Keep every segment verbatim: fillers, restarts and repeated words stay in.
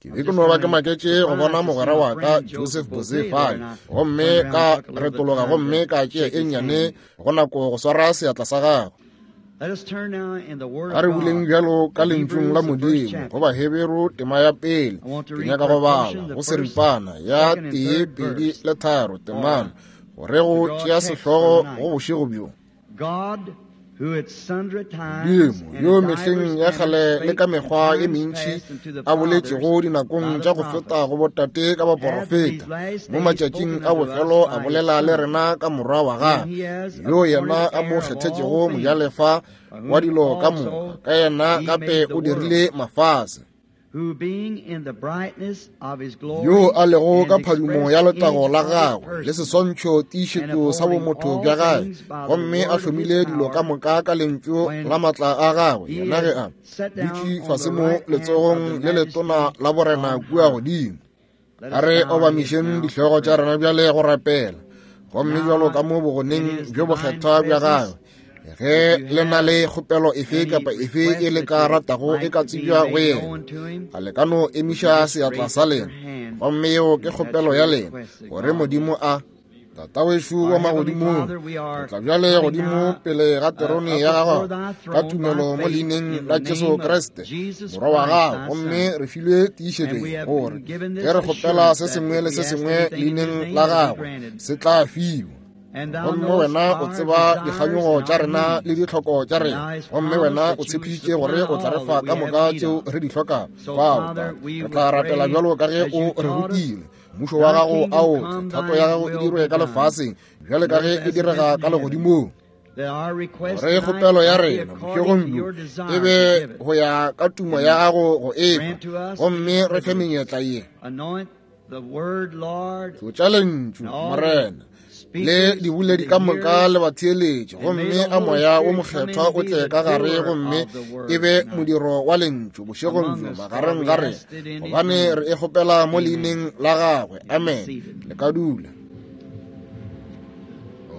Ke be ke no ba ke maketše go bona mogwera wa ka Joseph Boze fale, gomme ka retologa gomme ka tšea e nnyane go nako go swara seatla sa gagwe. A re buleng bjalo ka lentšung la Modimo go Baheberu tema ya pele. Ke nyaka go bala go seripana ya tee, pedi le tharo temana gore go tšea sehlogo go bošego bjo. Modimo yo mehleng ya kgale le ka mekgwa e mentši a boletšego dinakong tša go feta go botate ka baporofeta, mo matšatšing a bofelo a bolela le rena ka Morwa wa gagwe, yo yena a mo kgethetšego mojalefa wa dilo ka moka, ka yena gape o dirile mafase. Yo a lego ka phadimo ya letago la gagwe le seswantšho tiišetšo sa bomotho bja gagwe, gomme a hlomile dilo ka moka ka lentšu la matla a gagwe, yena ge a dutše fase mo letsogong le letona la borena kua godimo. A re obamišeng dihlogo tša rena bjale go rapela, gomme bjalo ka mo bogoneng bjo bokgethwa bja gagwe, ge le na le kgopelo efe kapa efe e le ka ratago e ka tsebja go yena, a le ka no emiša seatla sa lena, gomme yeo ke kgopelo ya lena, gore Modimo a Tatawešu wa magodimong, re tla bjale godimo pele ga terone ya gago ka tumelo mo leineng la Jesu Kriste Morwa wa gago, gomme re filwe tiišetšo gore ge re kgopela se sengwe le se sengwe leineng la gagwe se tla fiwa. Gomme wena o tseba dikganyogo tša rena le ditlhoko tša rena, gomme wena o tshepišitše gore o tla re fa ka moka tšeo re di hlokago. Fao re tla rapela bjalo ka ge o re rutile. Mmušo wa gago a o tle, thato ya gago e dirwe ka lefaseng bjale ka ge e direga ka legodimong. Gore kgopelo ya rena bošegong bjo e be go ya ka tumo ya gago go efa, gomme re fe menyetla ye. Tlotša lentšu, Morena, le diboledi ka moka le batheeletši, gomme a moya wo mokgethwa o tle ka gare, gomme e be modiro wa lentšu bošegong bjo magareng ga rena, gobane re e kgopela mo leineng la gagwe. Amen. Le ka dula.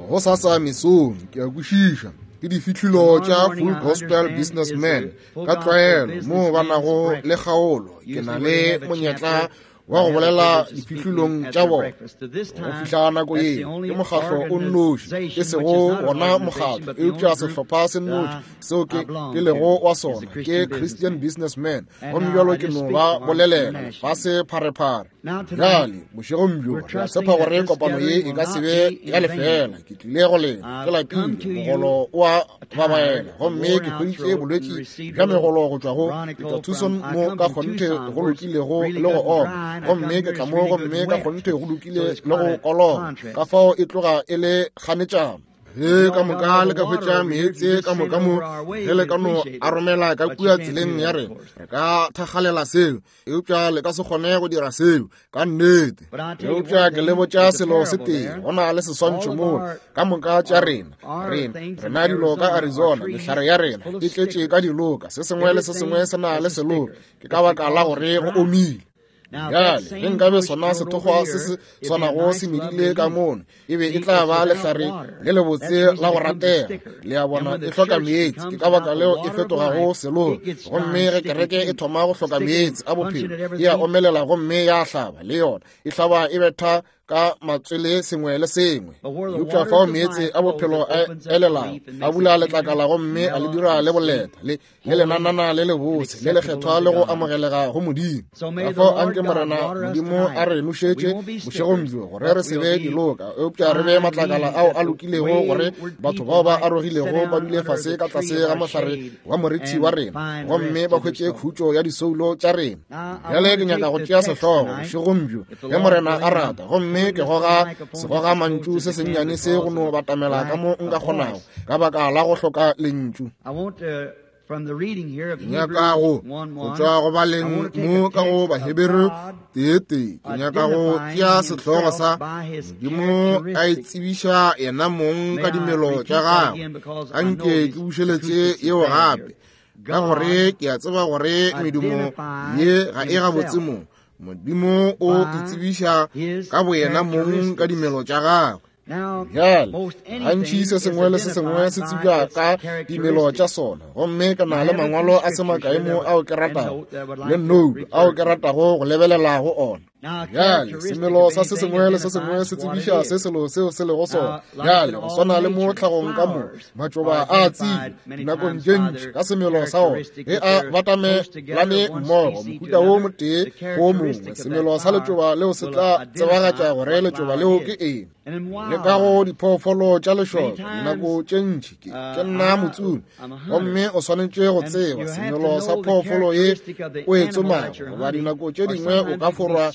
Go sasa mesong ke a kwešiša ke difihlilo tša Full Gospel Businessman ka tlwaelo mo ba nago le kgaolo. Ke na le monyetla wa go bolela difihlilong tša bona. Go fihla nako ye ke mokgahlo o nnoši, e sego wona mokgatlo, eupša sehlopha se nnoši seo ke ke lego wa sona ke Christian Businessman, gomme bjalo ke no ba bolelela lefase pharephare. Bjale bošegong bjo re a tshepa gore kopano ye e ka se be ya lefela. Ke tlile go lena ke lapile, mogolo o a babaela, gomme ke hweditše bolwetši bja megolo go tšwa go ke tšwa Tucson mo ka kgonthe go lokilego le go oma, gomme ke tla mo gomme ka kgonthe go lokile le go koloba, ka fao e tloga e le kganetšano. Ge ka moka le ka hwetša meetse ka moka mo, ge le ka no a romela ka kua tseleng ya rena, re ka thakgalela seo, eupša le ka se kgone go dira seo ka nnete. Eupša ke le botša selo se tee, go na le seswantšho moo ka moka tša rena, rena rena dilo ka Arizona, mehlare ya rena e tletše ka diloka, se sengwe le se sengwe se na le seloka, ke ka baka la gore go omile. Bjale ge nkabe sona sethokgwa se se swanago se medile ka mono, e be e tla ba lehlare le lebotse la go ratega. Le a bona, e hloka meetse, ke ka baka leo e fetogago seloka. Gomme ge kereke e thoma go hloka meetse a bophelo, e a omelela gomme ya hlaba le yona, e hlaba e betha ka matswele sengwe le sengwe. Eupša fao meetse a bophelo a elelago, a bula letlakala gomme a le dira le boleta le le lenanana le lebose le lekgethwa le go amogelega go Modimo. Ka fao anke Morena Modimo a re nošetše bošegong bjo, gore re se be diloka, eupša re be matlakala ao a lokilego, gore batho bao ba arogilego ba dule fase ka tlase ga mohlare wa morithi wa rena, gomme ba hwetše khutšo ya disoulo tša rena. Bjale ke nyaka go tšea sehlogo bošegong bjo, ge Morena a rata, gomme ke goga segoga mantšu se sennyane se go no batamela ka mo nka kgonago, ka baka la go hloka lentšu. Nyaka go go tšwa go baleng mo ka go Baheberu tee-tee, ke nyaka go tšea sehlogo sa Modimo a itsebiša yena mong ka dimelo tša gagwe. Anke ke bušeletše yeo gape, ka gore ke a tseba gore medumo ye ga e gabotse mo. Modimo o itsebiša ka boyena mong ka dimelo tša gagwe. Bjale, gantši se sengwe le se sengwe se tsebja ka dimelo tša sona, gomme ke na le mangwalo a se makae mo ao ke ratago le note ao ke ratago go lebelela go ona. Bjale, semelo sa se sengwe le se sengwe se tsebiša se selo seo se lego sona. Bjale, go swana le mo tlhagong ka mo, matšoba a tsebja dinakong tše ntši ka semelo sa ona ge a batamelane mmogo, mohuta wo motee go mongwe. Semelo sa letšoba leo se tla tsebagatša gore letšoba leo ke eng. Le ka go diphoofolo tša lešoka dinako tše ntši ke ke nna motsomi, gomme o swanetše go tseba semelo sa phoofolo ye o e tsomago, goba dinako tše dingwe o ka forwa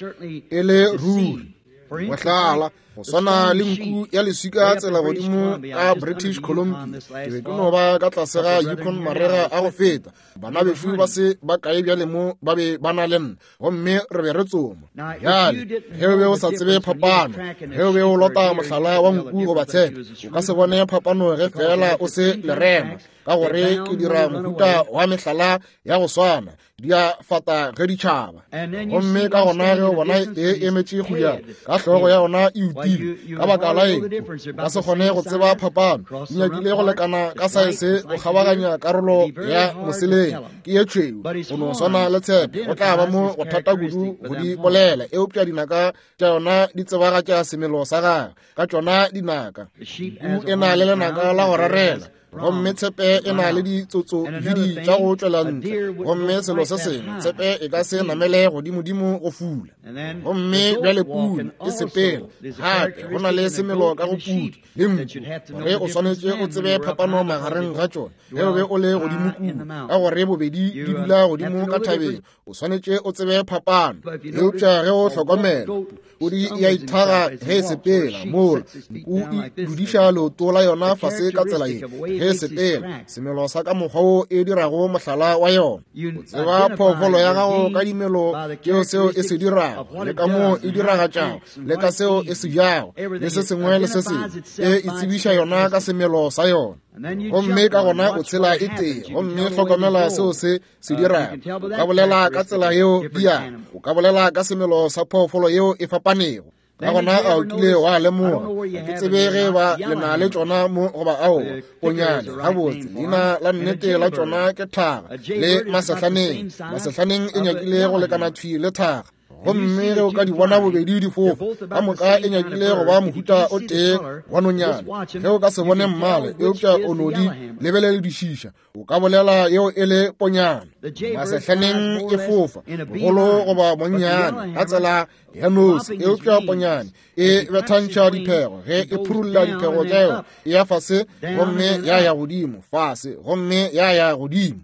e le ruri. Mohlala, go swana le nku ya leswika tsela godimo ka British Columbia, ke be ke no ba ka tlase ga Yukon marega a go feta. Bana bešo ba se ba kae bjale mo ba be ba na le nna, gomme re be re tsoma. Bjale, ge o be o sa tsebe phapano, ge o be o lota mohlala wa nku goba tshepe, o ka se bone phapano ge fela o se lerema, ka gore ke dira mohuta wa mehlala ya go swana, di a fata ge ditšhaba. Gomme ka gona ge o bona e emetše go ya ka hlogo ya yona e utile, ka baka la eng o ka se kgone go tseba phapano? Di nyakile go lekana ka saese go kgabaganya karolo ya moseleng, ke ye tšhweu go no swana le tshepe. Go tla ba mo go thata kudu go di bolela, eupša dinaka tša yona di tsebagatša semelo sa gagwe ka tšona dinaka. Nku e na le lenaka la go rarela, gomme tshepe e na le ditsotsovidi tša go tšwela ntle, gomme selo se sengwe, tshepe e ka se namele godimodimo go fula. Gomme bjale pudi e sepela gape, go na le semelo ka go pudi le nku, gore o swanetše o tsebe phapano magareng ga tšona ge o be o le godimo kudu, ka gore bobedi di dula godimo ka thabeng, o swanetše o tsebe phapano. Eupša ge o hlokomela, pudi ya ithaga ge e sepela, mola nku e dudiša leoto la yona fase ka tsela ye ge e sepela, semelo sa ka mokgwa wo e dirago mohlala wa yona. O tseba phoofolo ya gago ka dimelo tšeo seo e se dirago, le ka moo e diragatšago, le ka seo e se jago, le se sengwe le se sengwe. E itsebiša yona ka semelo sa yona. Gomme ka gona o tshela e tee, gomme hlokomela seo se se dirago. O ka bolela ka tsela yeo di yago, o ka bolela ka semelo sa phoofolo yeo e fapanego. Ka gona a o kile wa lemoga, ga ke tsebe ge ba le na le tšona mo goba aowa, ponyane gabotse leina la nnete la tšona ke thaga le masehlaneng. Masehlaneng e nyakile go lekana thwi le thaga, gomme ge o ka di bona bobedi di fofa ka moka e nyakile go ba mohuta o tee wa nonyane. Ge o ka se bone mmala eupša o no di lebeledišiša, o ka bolela yeo e le ponyane. Masehlaneng e fofa bogolo goba bonnyane ka tsela ya nosi, eupša ponyane e bethantšha diphego. Ge e phurulla diphego tša yona, e ya fase gomme ya ya godimo, fase gomme ya ya godimo.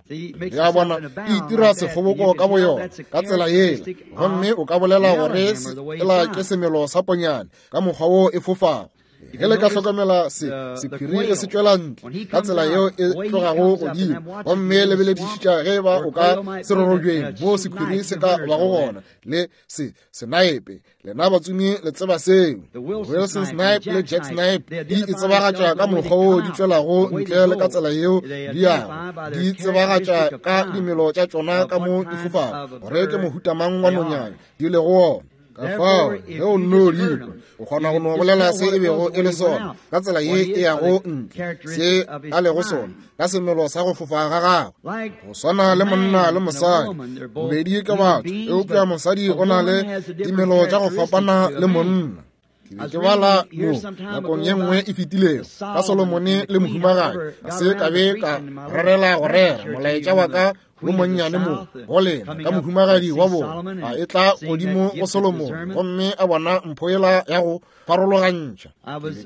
Ya bona e itira sekgoboko ka boyona ka tsela yela, gomme o ka bolela gore ela ke semelo sa ponyane ka mokgwa wo e fofago. Ge le ka hlokomela se sephiri ge se tšwela ntle ka tsela yeo e tlogago godimo, gomme lebeledišiša ge ba o ka serorobjeng mo sephiri se ka bago gona le se senaepe. Lena batsomi le tseba seo. Wilson Snipe le Jack Snipe di itsebagatša ka mokgwa wo di tšwelago ntle le ka tsela yeo di yago, di tsebagatša ka dimelo tša tšona ka mo di fofago, gore ke mohuta mang wa nonyane di lego wona. Ka fao ge o nno di kwa, o kgona go no bolela se e bego e le sona ka tsela ye e yago ntle, se a lego sona ka semelo sa go fofa ga gagwe. Go swana le monna le mosadi, bobedi ke batho, eupša mosadi o na le dimelo tša go fapana le monna. Ke be ke bala mo nakong ye nngwe e fetilego ka Solomone le mohumagadi, ga se ka be ka rerela go rera molaetša wa ka wo monnyane mo go lena ka mohumagadi wa bona a e tla godimo go Solomone, gomme a bona mpho yela ya go farologantšha.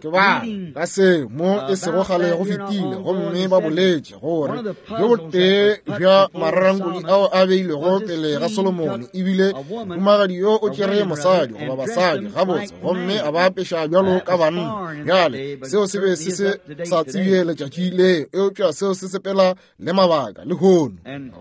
Ke bala ka seo mo e sego kgale go fetile, gomme ba boletše gore bjo botee bja mararankodi ao a beilwego pele ga Solomone ebile mohumagadi yo o tšere mosadi goba basadi gabotse, gomme a ba apeša bjalo ka banna. Bjale seo se be se se sa tsebje letšatši leo, eupša seo se sepela le mabaka lehono.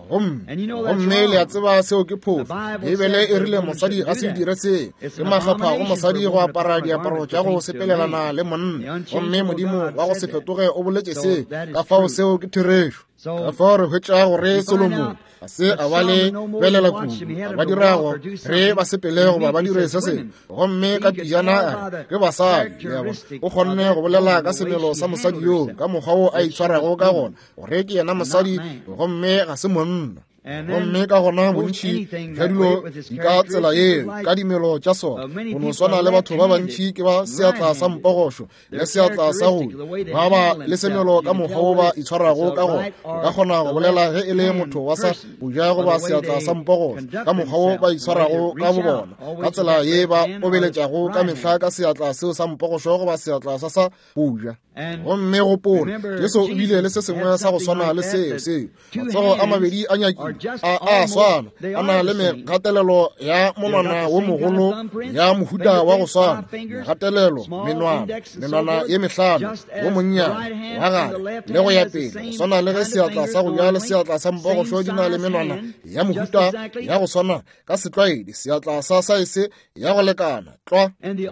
Gomme gomme le a tseba seo ke phošo. Beibele e rile mosadi a se dire seo. Ke makgapha go mosadi go apara diaparo tša go sepelelana le monna, gomme Modimo wa go se fetoge o boletše seo. Ka fao seo ke therešo. Ka fao re hwetša gore Solomone Ga se a ba le belela kudu, a ba dira gore ba sepele goba ba dire se sengwe. Gomme ka pejana a re, ke basadi. Le a bona? O kgonne go bolela ka semelo sa mosadi yoo, ka mokgwa wo a itshwarago ka gona, gore ke yena mosadi gomme ga se monna. Gomme ka gona bontši bja dilo di ka tsela yeo ka dimelo tša sona. Go no swana le batho ba bantši ke ba seatla sa mpogošo le seatla sa go ba ba le semelo ka mokgwa wo ba itshwarago ka gona. O ka kgona go bolela ge e le motho wa sa boja goba seatla sa mpogošo ka mokgwa wo ba itshwarago ka bo bona, ka tsela ye ba obeletšago ka mehla ka seatla seo sa mpogošo goba seatla sa sa boja. Gomme gopola, Jesu o bile le se sengwe sa go swana le seo seo. Matsogo a mabedi a nyakile a a swana, a na le megatelelo ya monwana wo mogolo ya mohuta wa go swana, megatelelo, menwana, menwana ye mehlano, wo monnyane wa gare le go ya pele, go swana le ge seatla sa go ja le seatla sa mpogošo di na le menwana ya mohuta ya go swana ka setlwaedi, seatla sa saese ya go lekana tlwa.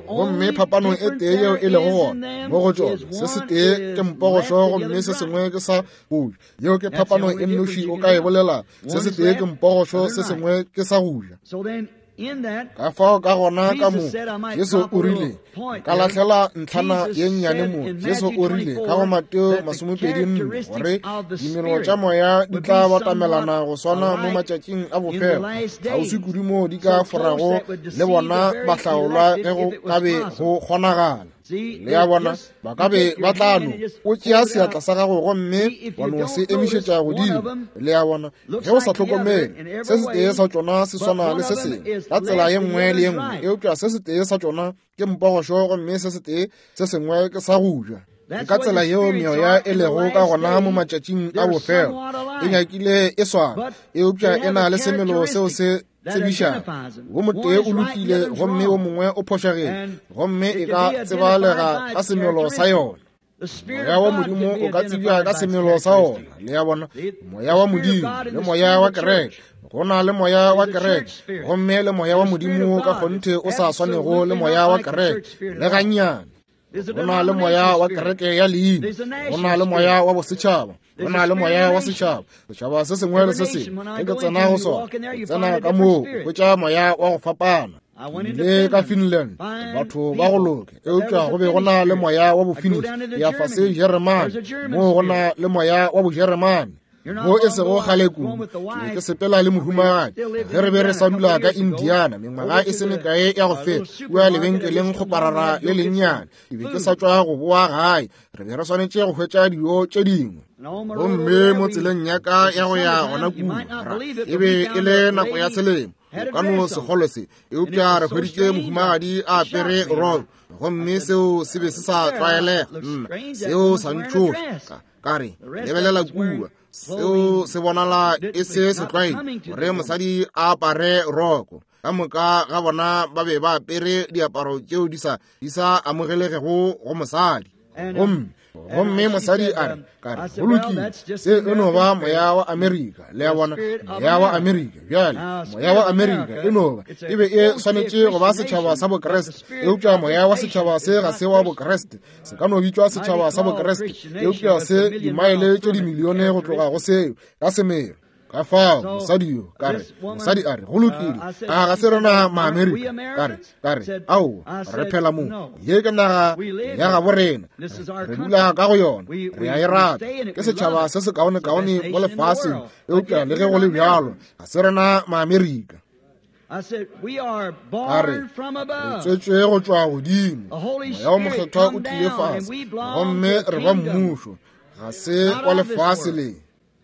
Gomme phapano e tee yeo e lego gona mo go tšona, se se tee ke mpogošo gomme se sengwe ke sa go ja. Yeo ke phapano e nnoši o ka e bolela. Se se tee ke mpogošo, se sengwe ke sa go ja. Ka fao ka gona ka mo Jesu o rile, ka lahlela ntlhana ye nnyane mo. Jesu o rile ka go Mateo masomepedi nne gore dimelo tša moya di tla batamelana go swana mo matšatšing a bofelo, kgauswi kudu moo di ka forago le bona bahlaolwa ge go ka be go kgonagala. Le a bona, ba ka be ba tla no o tšea seatla sa gago gomme wa no se emišetša godimo. Le a bona, ge o sa hlokomele, se setee sa tšona se swana le se sengwe ka tsela ye nngwe le ye nngwe, eupša se setee sa tšona ke mpogošo gomme se setee se sengwe ke sa go ja. Ke ka tsela yeo meoya e lego ka gona mo matšatšing a bofelo. E nyakile e swana, eupša e na le semelo seo se tsebišang. Wo motee o lokile gomme wo mongwe o phošagile, gomme e ka tsebalega ka semelo sa yona. Moya wa Modimo o ka tsebja ka semelo sa ona. Le a bona, moya wa Modimo le moya wa kereke. Go na le moya wa kereke gomme le moya wa Modimo ka kgonthe o sa swanego le moya wa kereke le gannyane. Go na le moya wa kereke ya leina, go na le moya wa bosetšhaba, go na le moya wa setšhaba. Setšhaba se sengwe le se sengwe ge ke tsena go sona, o tsena ka moo o hwetša moya wa go fapana. Le ka Finland batho ba go loke, eupša go be go na le moya wa boFinnish. Ke ya fase Jeremane, moo go na le moya wa boJeremane. Mo e sego kgale kudu, ke be ke sepela le mohumagadi ge re be re sa dula ka Indiana mengwaga e se mekae ya go feta, kua lebenkeleng kgoparara le lennyane. Ke be ke sa tšwa go boa gae, re be re swanetše go hwetša dijo tše dingwe. Gomme mo tseleng ya ka ya go ya gona kua, e be e le nako ya selemo, o ka no se kgolwe se, eupša re hweditše mohumagadi a apere roko, gomme seo se be se sa tlwaelega. Nna, seo sa ntšhoša. Ka re, lebelela kua, seo se bonala e se setlwaedi gore mosadi a apare roko. Ka moka ga bona ba be ba apere diaparo tšeo di sa di sa amogelegego go mosadi. Gomme gomme mosadi a re, ka re, go lokile, se e no ba moya wa Amerika. Le a bona, moya wa Amerika. Bjale moya wa Amerika e no ba e be e swanetše go ba setšhaba sa Bokreste, eupša moya wa setšhaba se ga se wa Bokreste. Se ka no bitšwa setšhaba sa Bokreste, eupša se dimaele tše dimilione go tloga go seo ka semelo. Ka fao mosadi yo, ka re, mosadi a re, go lokile, a ga se rena Maamerika? Ka re, ka re, aowa, re phela mo, ye ke naga ya gabo rena, re dula ka go yona, re a e rata, ke setšhaba se se kaonekaone mo lefaseng, eupša le ge go le bjalo, ga se rena Maamerika. I said, we are A re, born from re above. tswetšwe go tšwa godimo, The Holy moya wo Spirit mokgethwa o come tlile down and fase, we belong gomme to a re ba kingdom. mmušo, ga se Not wa of this lefase world. le.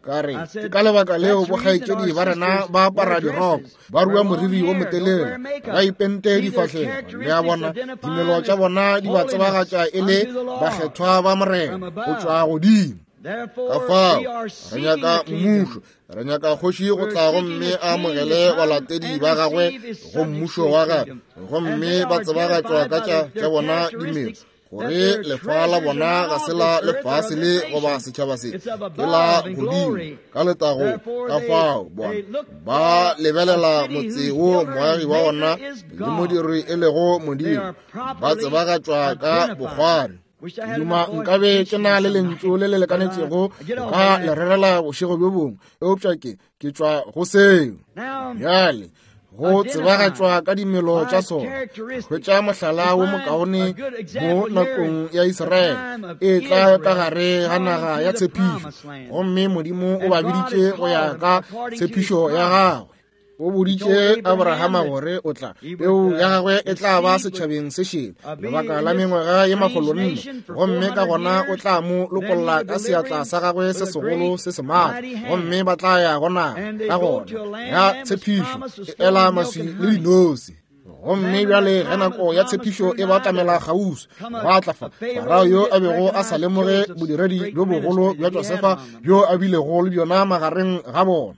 Ka re, I ke said, ka lebaka leo that's the reason bokgaetšedi our ba rena sisters ba apara wear diroko, dresses, ba wear rua long moriri wo hair, don't motelele, wear makeup. ba ipente See, their difahlego. Le a characteristics bona, identify dimelo them tša as bona di ba holiness tsebagatša e le unto the Lord bakgethwa ba Morena from go above. tšwa godimo. Ka Therefore, fao we are re seeking nyaka the kingdom. mmušo, re nyaka kgoši go We're tla seeking gomme a a king to amogele come balatedi and ba gagwe receive his go subjects mmušo to his wa gagwe, kingdom. And gomme they ba are tsebagatšwa identified ka by tša their tša bona dimelo, characteristics that gore their lefa la treasures are bona not ga of se la this earth or lefase of this le goba nation. setšhaba se, It's of ke la above in godimo glory. ka letago. Therefore, Ka they, fao bona they look ba for a lebelela city motse whose wo builder moagi and wa ona maker is le God. modiri e lego They Modimo, are ba properly tsebagatšwa ka identified. bokgwari. Ke duma nkabe ke na le lentšu le le lekanetšego ka le rerela bošego bjo bongwe, eupša ke ke tšwa go seo. Bjale go tsebagatšwa ka dimelo tša sona, hwetša mohlala wo mokaone mo nakong ya Israele e tla ka gare ga naga ya tshepišo, gomme Modimo o ba biditše go ya ka tshepišo ya gagwe. O boditše Abrahama gore o tla peu ya gagwe e tla ba setšhabeng se šele lebaka la mengwaga ye makgolo nne, gomme ka gona o tla mo lokolla ka seatla sa gagwe se segolo se se maatla, gomme ba tla ya go naga ka gona ya tshepišo e ela maswi le dinose. Gomme bjale ge nako ya tshepišo e batamela kgauswi, gwa tla fa Farao yo a bego a sa lemoge bodiredi bjo bogolo bja Josefa bjo a bilego le bjona magareng ga bona.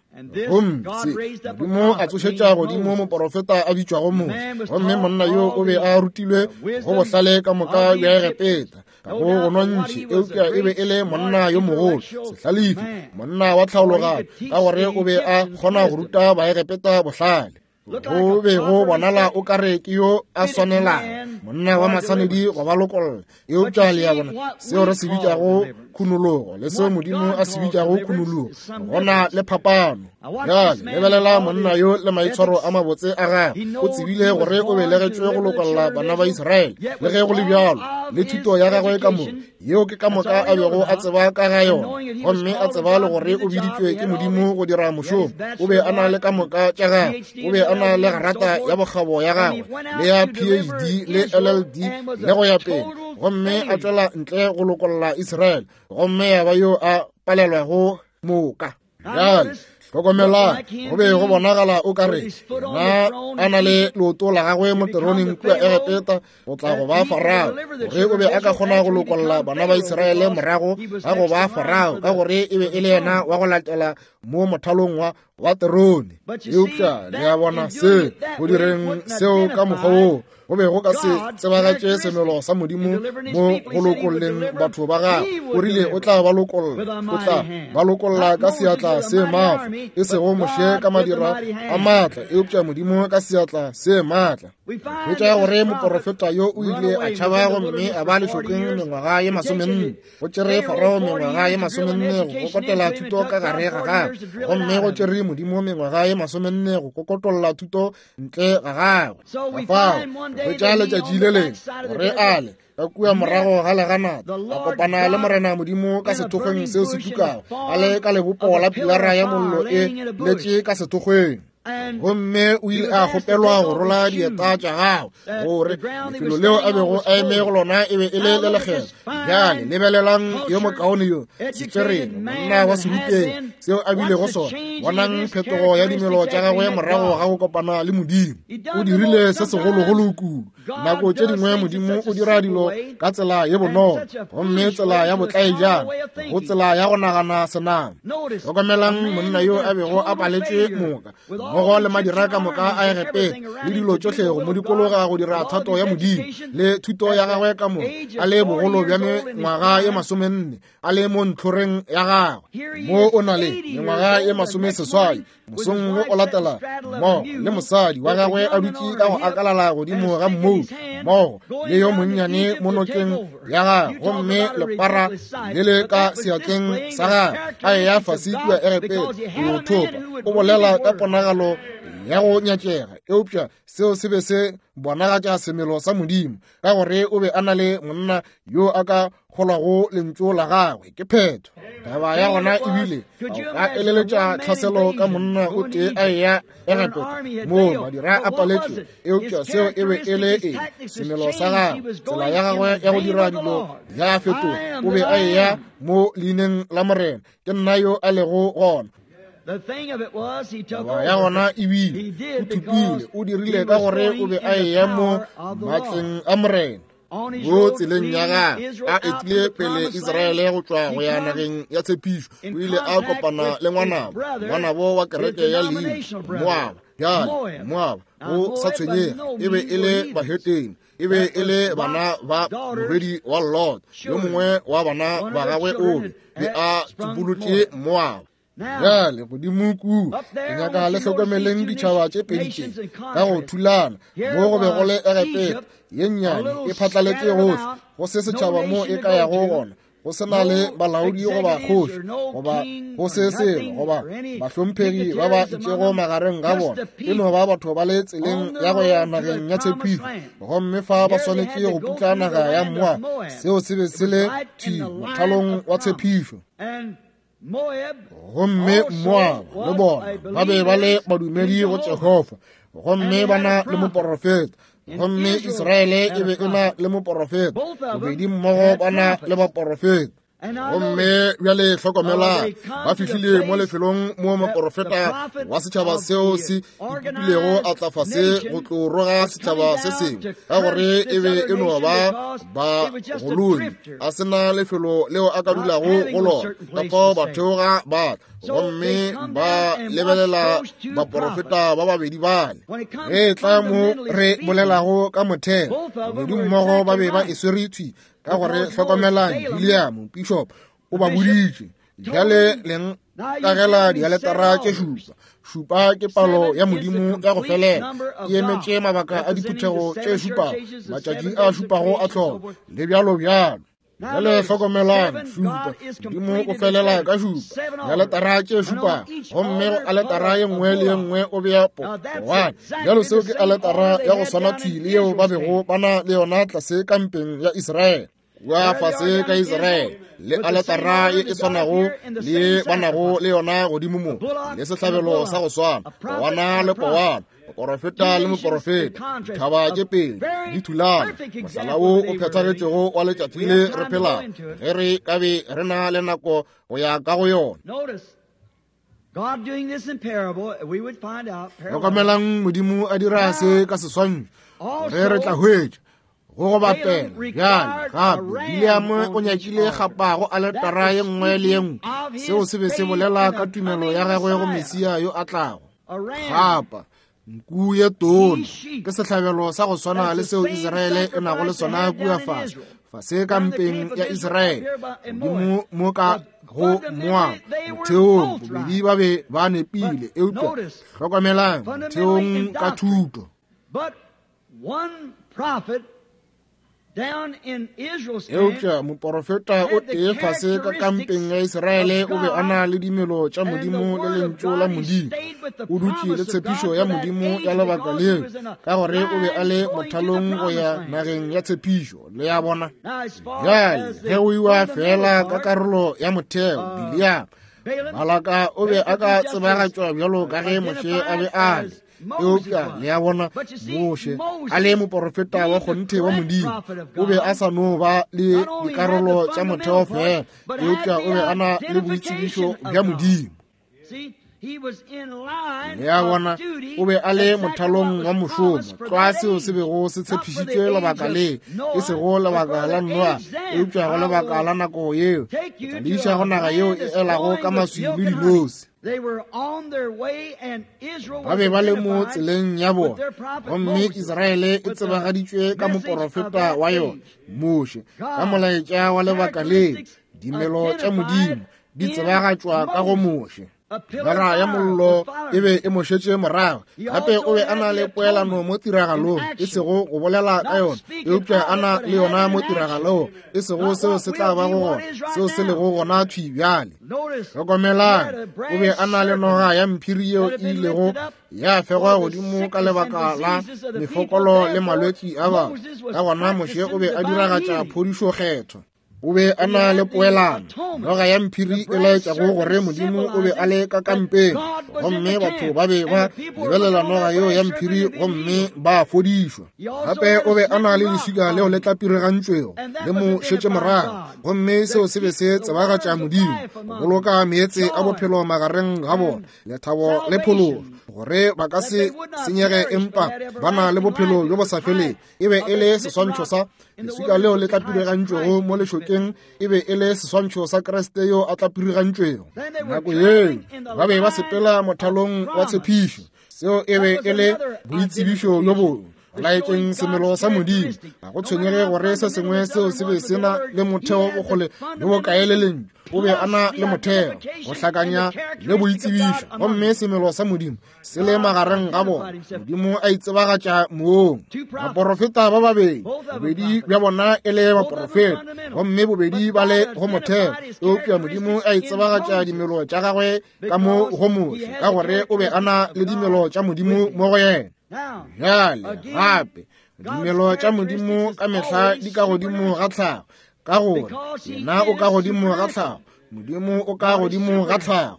Gomme se Modimo a tsošetša godimo moporofeta a bitšwago Moshe, gomme monna yo o be a rutilwe go bohlale ka moka bja Egepeta ka go go nontšhi, eupša e be e le monna yo mogolo, sehlalefi, monna wa tlhaologanyo, ka gore o be a kgona go ruta Baegepeta bohlale. Go be go bonala o kare ke yo a swanelang, monna wa maswanedi go ba lokolla. Eupša le a bona seo re se bitšago khunologo le seo Modimo a se bitšago khunologo, gona le phapano. Bjale lebelela monna yo le maitshwaro a mabotse a gagwe. O tsebile gore o belegetšwe go lokolla bana ba Israele, le ge go le bjalo le thuto ya gagwe ka moka, yeo ke ka moka a bego a tseba ka ga yona, gomme a tseba le gore o biditšwe ke Modimo go dira mošomo. O be a na le ka moka tša gagwe, o be a na le grata ya bokgabo ya gagwe le ya P H D le L L D le go ya pele, gomme a tšwela ntle go lokolla Israele, gomme ya ba yo a palelwago moka. Bjale hlokomelang, go be go bonagala o ka re na a na le leoto la gagwe mo teroneng kua Egepeta go tla go ba Farao, gore o be a ka kgona go lokolla bana ba Israele morago ga go ba Farao, ka gore e be e le yena wa go latela mo mothalong wa wa terone. Eupša le a bona se go direng seo ka mokgwa woo go be go ka se tsebagatše semelo sa Modimo mo go lokolleng batho ba gagwe. O rile o tla ba lokolla, o tla ba lokolla ka seatla se maatla, e sego Moshe ka madira a maatla, eupša Modimo ka seatla se maatla. Hwetša gore moporofeta yo o ile a tšhaba gomme a ba lešokeng mengwaga ye masomenne. Go tšere Farao mengwaga ye masomenne go kokotela thuto ka gare ga gagwe, gomme go tšere Modimo mengwaga ye masomenne go kokotolla thuto ntle ga gagwe. Ka fao hwetša letšatši le lengwe gore ale ka kua morago ga leganata a kopana le Morena Modimo ka sethokgweng seo se tukago, a le ka lebopo la pilara ya mollo e letše ka sethokgweng. Gomme o ile a kgopelwa go rola dieta tša gagwe, gore lefelo leo a bego a eme go lona e be e le le lekgetho. Bjale lebelelang yo mokaone yo setswerere, monna wa serutegi, seo a bilego sona. Bonang phetogo ya dimelo tša gagwe morago ga go kopana le Modimo. O dirile se segologolo kudu. Nako tše dingwe Modimo o dira dilo ka tsela ye bonolo, gomme tsela ya botlaejana go tsela ya go nagana senama. Hlokomelang monna yo a bego a paletšwe moka mmogo le madira ka moka a Egepeta le dilo tšohle go mo dikologa go dira thato ya Modimo le thuto ya gagwe ka moka, a le bogolo bja mengwaga ye masomenne, a le mo ntlhoreng ya gagwe. Mo o na le mengwaga ye masomeseswai, mosong wo o latela mmogo le mosadi wa gagwe a dutše ka go akalala godimo ga mmou mmogo le yo monnyane mo nokeng ya gagwe, gomme lepara le le ka seatleng sa gagwe, a eya fase kua Egepeta go thopa. O bolela ka ponagalo ya go nyatšega, eupša seo se be se bonagatša semelo sa Modimo, ka gore o be a na le monna yo a ka kgolwago lentšu la gagwe. Ke phetho. Taba ya gona ebile a eleletša tlhaselo ka monna o tee a eya Egepeta moo madira a paletšwe, eupša seo e be e le eng? Semelo sa gagwe, tsela ya gagwe ya go dira dilo ya fetoga. O be a eya mo leineng la Morena, ke nna yo a lego gona. Taba ya gona ebile o thupile, o dirile ka gore o be a eya mo matleng a Morena. Mo tseleng ya gagwe a etile pele Israele go tšwa go ya nageng ya tshepišo, o ile a kopana le ngwanabo, ngwanabo wa kereke ya leina Moaba. Bjale Moaba go sa tshwenyege e be e le bahetene, e be e le bana ba morwedi wa Lot, yo mongwe wa bana ba gagwe o be a tsupolotše Moaba. Bjale godimo kua, ke nyaka le hlokomeleng ditšhaba tše pedi tše ka go thulana. Mo go be go le Egepeta ye nnyane e phatlaletše gohle, go se setšhaba mo e ka yago gona, go se na le balaodi goba kgoši goba go se selo goba bahlomphegi ba ba itšego magareng ga bona, e no ba batho ba le tseleng ya go ya nageng ya tshepišo. Gomme fa ba swanetše go putla naga ya Moab. Seo se be se le thwi mothalong wa tshepišo. Gomme Moab le bona ba be ba le badumedi go Jehofa, gomme ba na le moporofeta, gomme Israele e be e na le moporofeta, bobedi mmogo ba na le baporofeta. Gomme bjale hlokomelang, ba fihlile mo lefelong mo moporofeta wa setšhaba seo se ipopilego a tla fase go tlo roga setšhaba se sengwe, ka gore e be e no ba bagolodi, a se na lefelo leo a ka dulago go lona. Ka fao ba theoga ba tla, gomme ba lebelela baporofeta ba babedi bale. Ge tla mo re bolelago ka motheo, bobedi mmogo ba be ba e swere thwi, ka gore hlokomelang, William Bishop o ba boditše, bjale leng kagela dialetara tše šupa. Šupa ke palo ya Modimo ya go felela, e emetše mabaka a diphuthego tše šupago, matšatši a šupago a tlholo, le bjalo bjalo. Bjale hlokomelang, šupa, Modimo o felela ka šupa, dialetara tše šupago, gomme go aletara ye nngwe le ye nngwe o bea powana. Bjalo seo ke aletara ya go swana thwi le yeo ba bego ba na le yona tlase kampeng ya Israele, kua fase ka Israele, le aletara ye e swanago le ye ba nago le yona godimo mo, le sehlabelo sa go swana, powana le powana, moporofeta le moporofeta, dithaba tše pedi di thulana. Mohlala wo o phethagetšego wa letšatši le re phelago, ge re ka be re na le nako go ya ka go yona. Hlokomelang, Modimo a dira se ka seswantšho, ge re tla hwetša go go bapela. Bjale gape William o nyakile kgapa go aletara ye nngwe le ye nngwe. Seo se be se bolela ka tumelo ya gagwe go Mesia yo a tlago. Kgapa nku ye tona ke sehlabelo sa go swana le seo Israele e nago le sona kua fase fase kampeng ya Israele, godimo mo ka go Moab. Motheong bobedi ba be ba nepile, eupša hlokomelang, motheong ka thuto. Eupša moporofeta o tee fase ka kampeng ya Israele o be a na le dimelo tša Modimo le lentšu la Modimo. O dutše le tshepišo ya Modimo ya lebaka leo, ka gore o be a le mothalong go ya nageng ya tshepišo. Le ya bona bjale ge o iwa fela ka karolo ya motheo, Bileam Balaka o be a ka tsebagatšwa bjalo ka ge Moshe a be a le. Eupša le ya bona, Moshe a le moporofeta wa kgonthe wa Modimo, o be a sa no ba le dikarolo tša motheo fela, eupša o be a na le boitsebišo bja Modimo. Le ya bona, o be a le mothalong wa mošomo, tlwa seo se bego se tshepišitšwe lebaka le, e sego lebaka la Noa, eupša go lebaka la nako yeo, ke tla le iša go naga yeo e elago ka maswi le dinose. Ba be ba le mo tseleng ya bona, gomme Israele e tsebagaditšwe ka moporofeta wa yona, Moshe, ka molaetša wa lebaka leo. Dimelo tša Modimo di tsebagatšwa ka go Moshe. Nara ya mollo e be e mo šetše morago. Gape o be a na le poelano mo tiragalong, e sego go bolela ka yona, eupša a na le yona mo tiragalong, e sego seo se tla bago gona, seo se lego gona thwi bjale. Hlokomelang, o be a na le noga ya mphiri yeo e ilego ya fegwa godimo ka lebaka la mefokolo le malwetši a batho. Ka gona Moshe o be a diragatša phodišo kgetho. O be a na le poelano, noga ya mphiri e laetšago gore Modimo o be a le ka kampeng, gomme batho ba be ba lebelela noga yeo ya mphiri gomme ba fodišwa. Gape o be a na le leswika leo le tlapirigantšwego le mo šetše morago, gomme seo se be se tsebagatša Modimo, go boloka meetse a bophelo magareng ga bona, lethabo le phološo, gore ba ka se senyege empa ba na le bophelo bjo bo sa feleng. E be e le seswantšho sa leswika leo le tlapirigantšwego mo lešokeng, e be e le seswantšho sa Kriste yo a tlapirigantšwego. Nako yeo ba be ba sepela mothalong wa tshepišo, seo e be e le boitsebišo bjo bongwe. Laetšeng semelo sa Modimo. Ga go tshwenyege gore se sengwe seo se be se na le motheo bokgole le bokae le lentšu, o be a na le motheo go hlakanya le boitsebišo, gomme semelo sa Modimo se le magareng ga bona. Modimo a itsebagatša moong. Baporofeta ba babedi, bobedi bja bona e le baporofeta, gomme bobedi ba le go motheo, eupša Modimo a itsebagatša dimelo tša gagwe ka mo go Moshe, ka gore o be a na le dimelo tša Modimo mo go yena. Bjale gape dimelo tša Modimo ka mehla di ka godimo ga tlhago, ka gore yena o ka godimo ga tlhago, Modimo o ka godimo ga tlhago.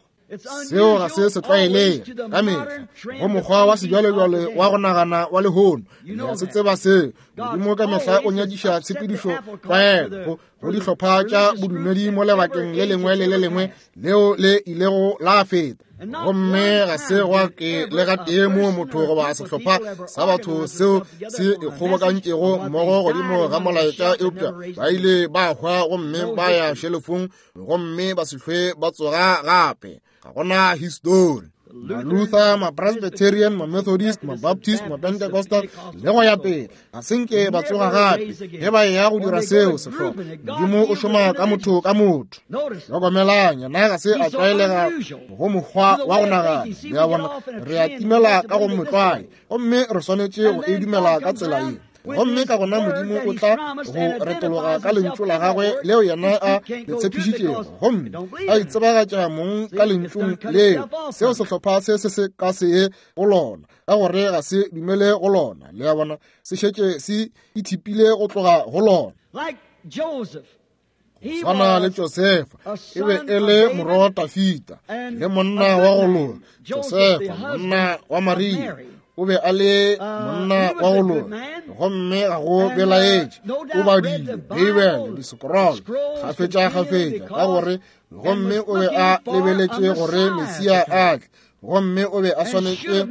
Seo ga se se tlwaelege ka mehla go mokgwa wa sejwalejwale wa go nagana wa lehono. Le a se tseba seo. Modimo ka mehla o nyadiša tshepedišo tlwaelo go dihlopha tša bodumedi mo lebakeng le lengwe le le lengwe leo le ilego la feta. Gomme ga se gwa ke le gatee moo motho goba sehlopha sa batho seo se ikgobokantšego mmogo godimo ga molaetša, eupša ba ile ba hwa gomme ba ya šelefong gomme ba se hlwe ba tsoga gape. Ga gona histori. Ma-Luther, ma-Presbyterian, ma-Methodist, ma-Baptist, ma-Pentecostal le go ya pele ga se nke ba tsoga gape ge ba eya go dira seo sehlopha. Modimo o šoma ka motho ka motho. Hlokomelang, yena ga se a tlwaelega go mokgwa wa go nagana. Le a bona, re a timela ka go motlwae, gomme re swanetše go e dumela ka tsela ye. Gomme ka gona Modimo o tla go retologa ka lentšu la gagwe leo yena a le tshepišitšego, gomme a itsebagatša mong ka lentšung leo. Seo sehlopha se se se ka se ye go lona, ka gore ga se dumele go lona. Le a bona, se šetše se ithipile go tloga go lona. Swana le Josefa, e be e le morwa wa Dafida le monna wa go loka. Josefa, monna wa Maria, o be a le monna wa go loka, gomme ga go belaetše o badile Beibele, disekrolo kgafetša-kgafetša, ka gore gomme o be a lebeletše gore Mesia a tle, gomme o be a swanetše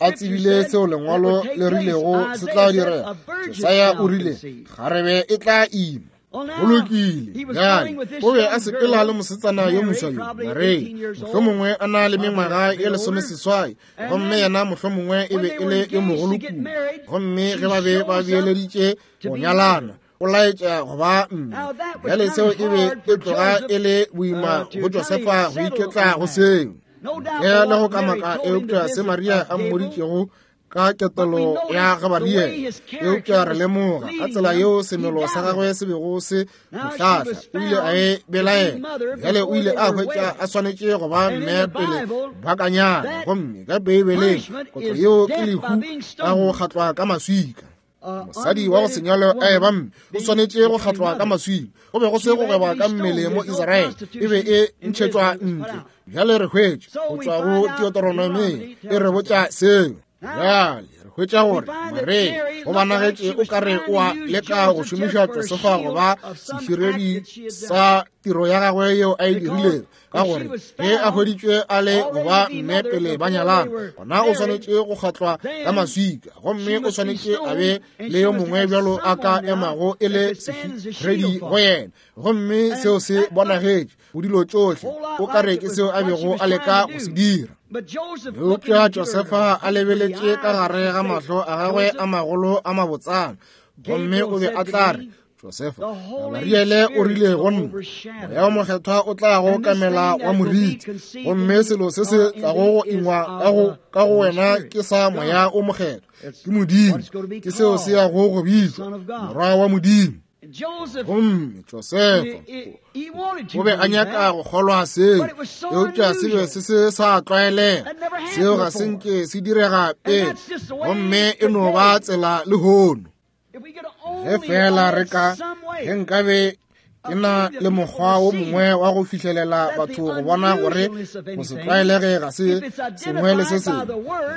a tsebile seo lengwalo le rilego se tla direga. Jesaya o rile kgarebe e tla ima. Go lokile. Bjale o be a sepela le mosetsana yo moswa yo, Maria, mohlomongwe a na le mengwaga ye lesomeseswai, gomme yena mohlomongwe e be e le yo mogolo kudu. Gomme ge ba be ba beeleditše go nyalana, o laetša go ba mme. Bjale seo e be e tloga e le boima go Josefa go iketla go seo. Ntle le go kamaka, eupša se Maria a mmoditšego ka ketelo ya Gabariele, eupša re lemoga ka tsela yeo semelo sa gagwe se bego se mo hlahla, o ile a e belaela. Bjale o ile a hwetša a swanetše go ba mme pele ba ka nyala, gomme ka Beibeleng kotlo yeo ke lehu ka go kgatlwa ka maswika. Mosadi wa go se nyalwe a eba mme o swanetše go kgatlwa ka maswika. Go be go se go gweba ka mmele mo Israele, e be e ntšhetšwa ntle. Bjale re hwetše go tšwa go Deuteronomy e re botša seo. Bjale re hwetša gore Maria o banagetše o kare o a leka go šomiša Josefa go ba seširedi sa tiro ya gagwe yeo a e dirilego, ka gore ge a hweditšwe a le go ba mme pele ba nyalana, gona o swanetše go kgatlwa ka maswika, gomme o swanetše a be le yo mongwe bjalo a ka emago e le seširedi go yena. Gomme seo se bonagetše go dilo tšohle, o kare ke seo a bego a leka go se dira. Eupša Josefa a lebeletše ka gare ga mahlo a gagwe a magolo a mabotsana, gomme o be a tla re, Josefa, Gabariele o rile go nna, Moya o Mokgethwa o tla go kamela wa moriti, gomme selo se se tlago go ingwa ka go ka go wena ke sa Moya o Mokgethwa, ke Modimo, ke seo se yago go bitšwa Morwa wa Modimo. Gomme Josefa o be a nyaka go kgolwa seo, eupša se be se se sa tlwaelega. Seo ga se nke se direga pele, gomme e no ba tsela lehono. Ge fela re ka, ge nkabe ke na le mokgwa wo mongwe wa go fihlelela batho go bona gore go se tlwaelege ga se sengwe le se sengwe,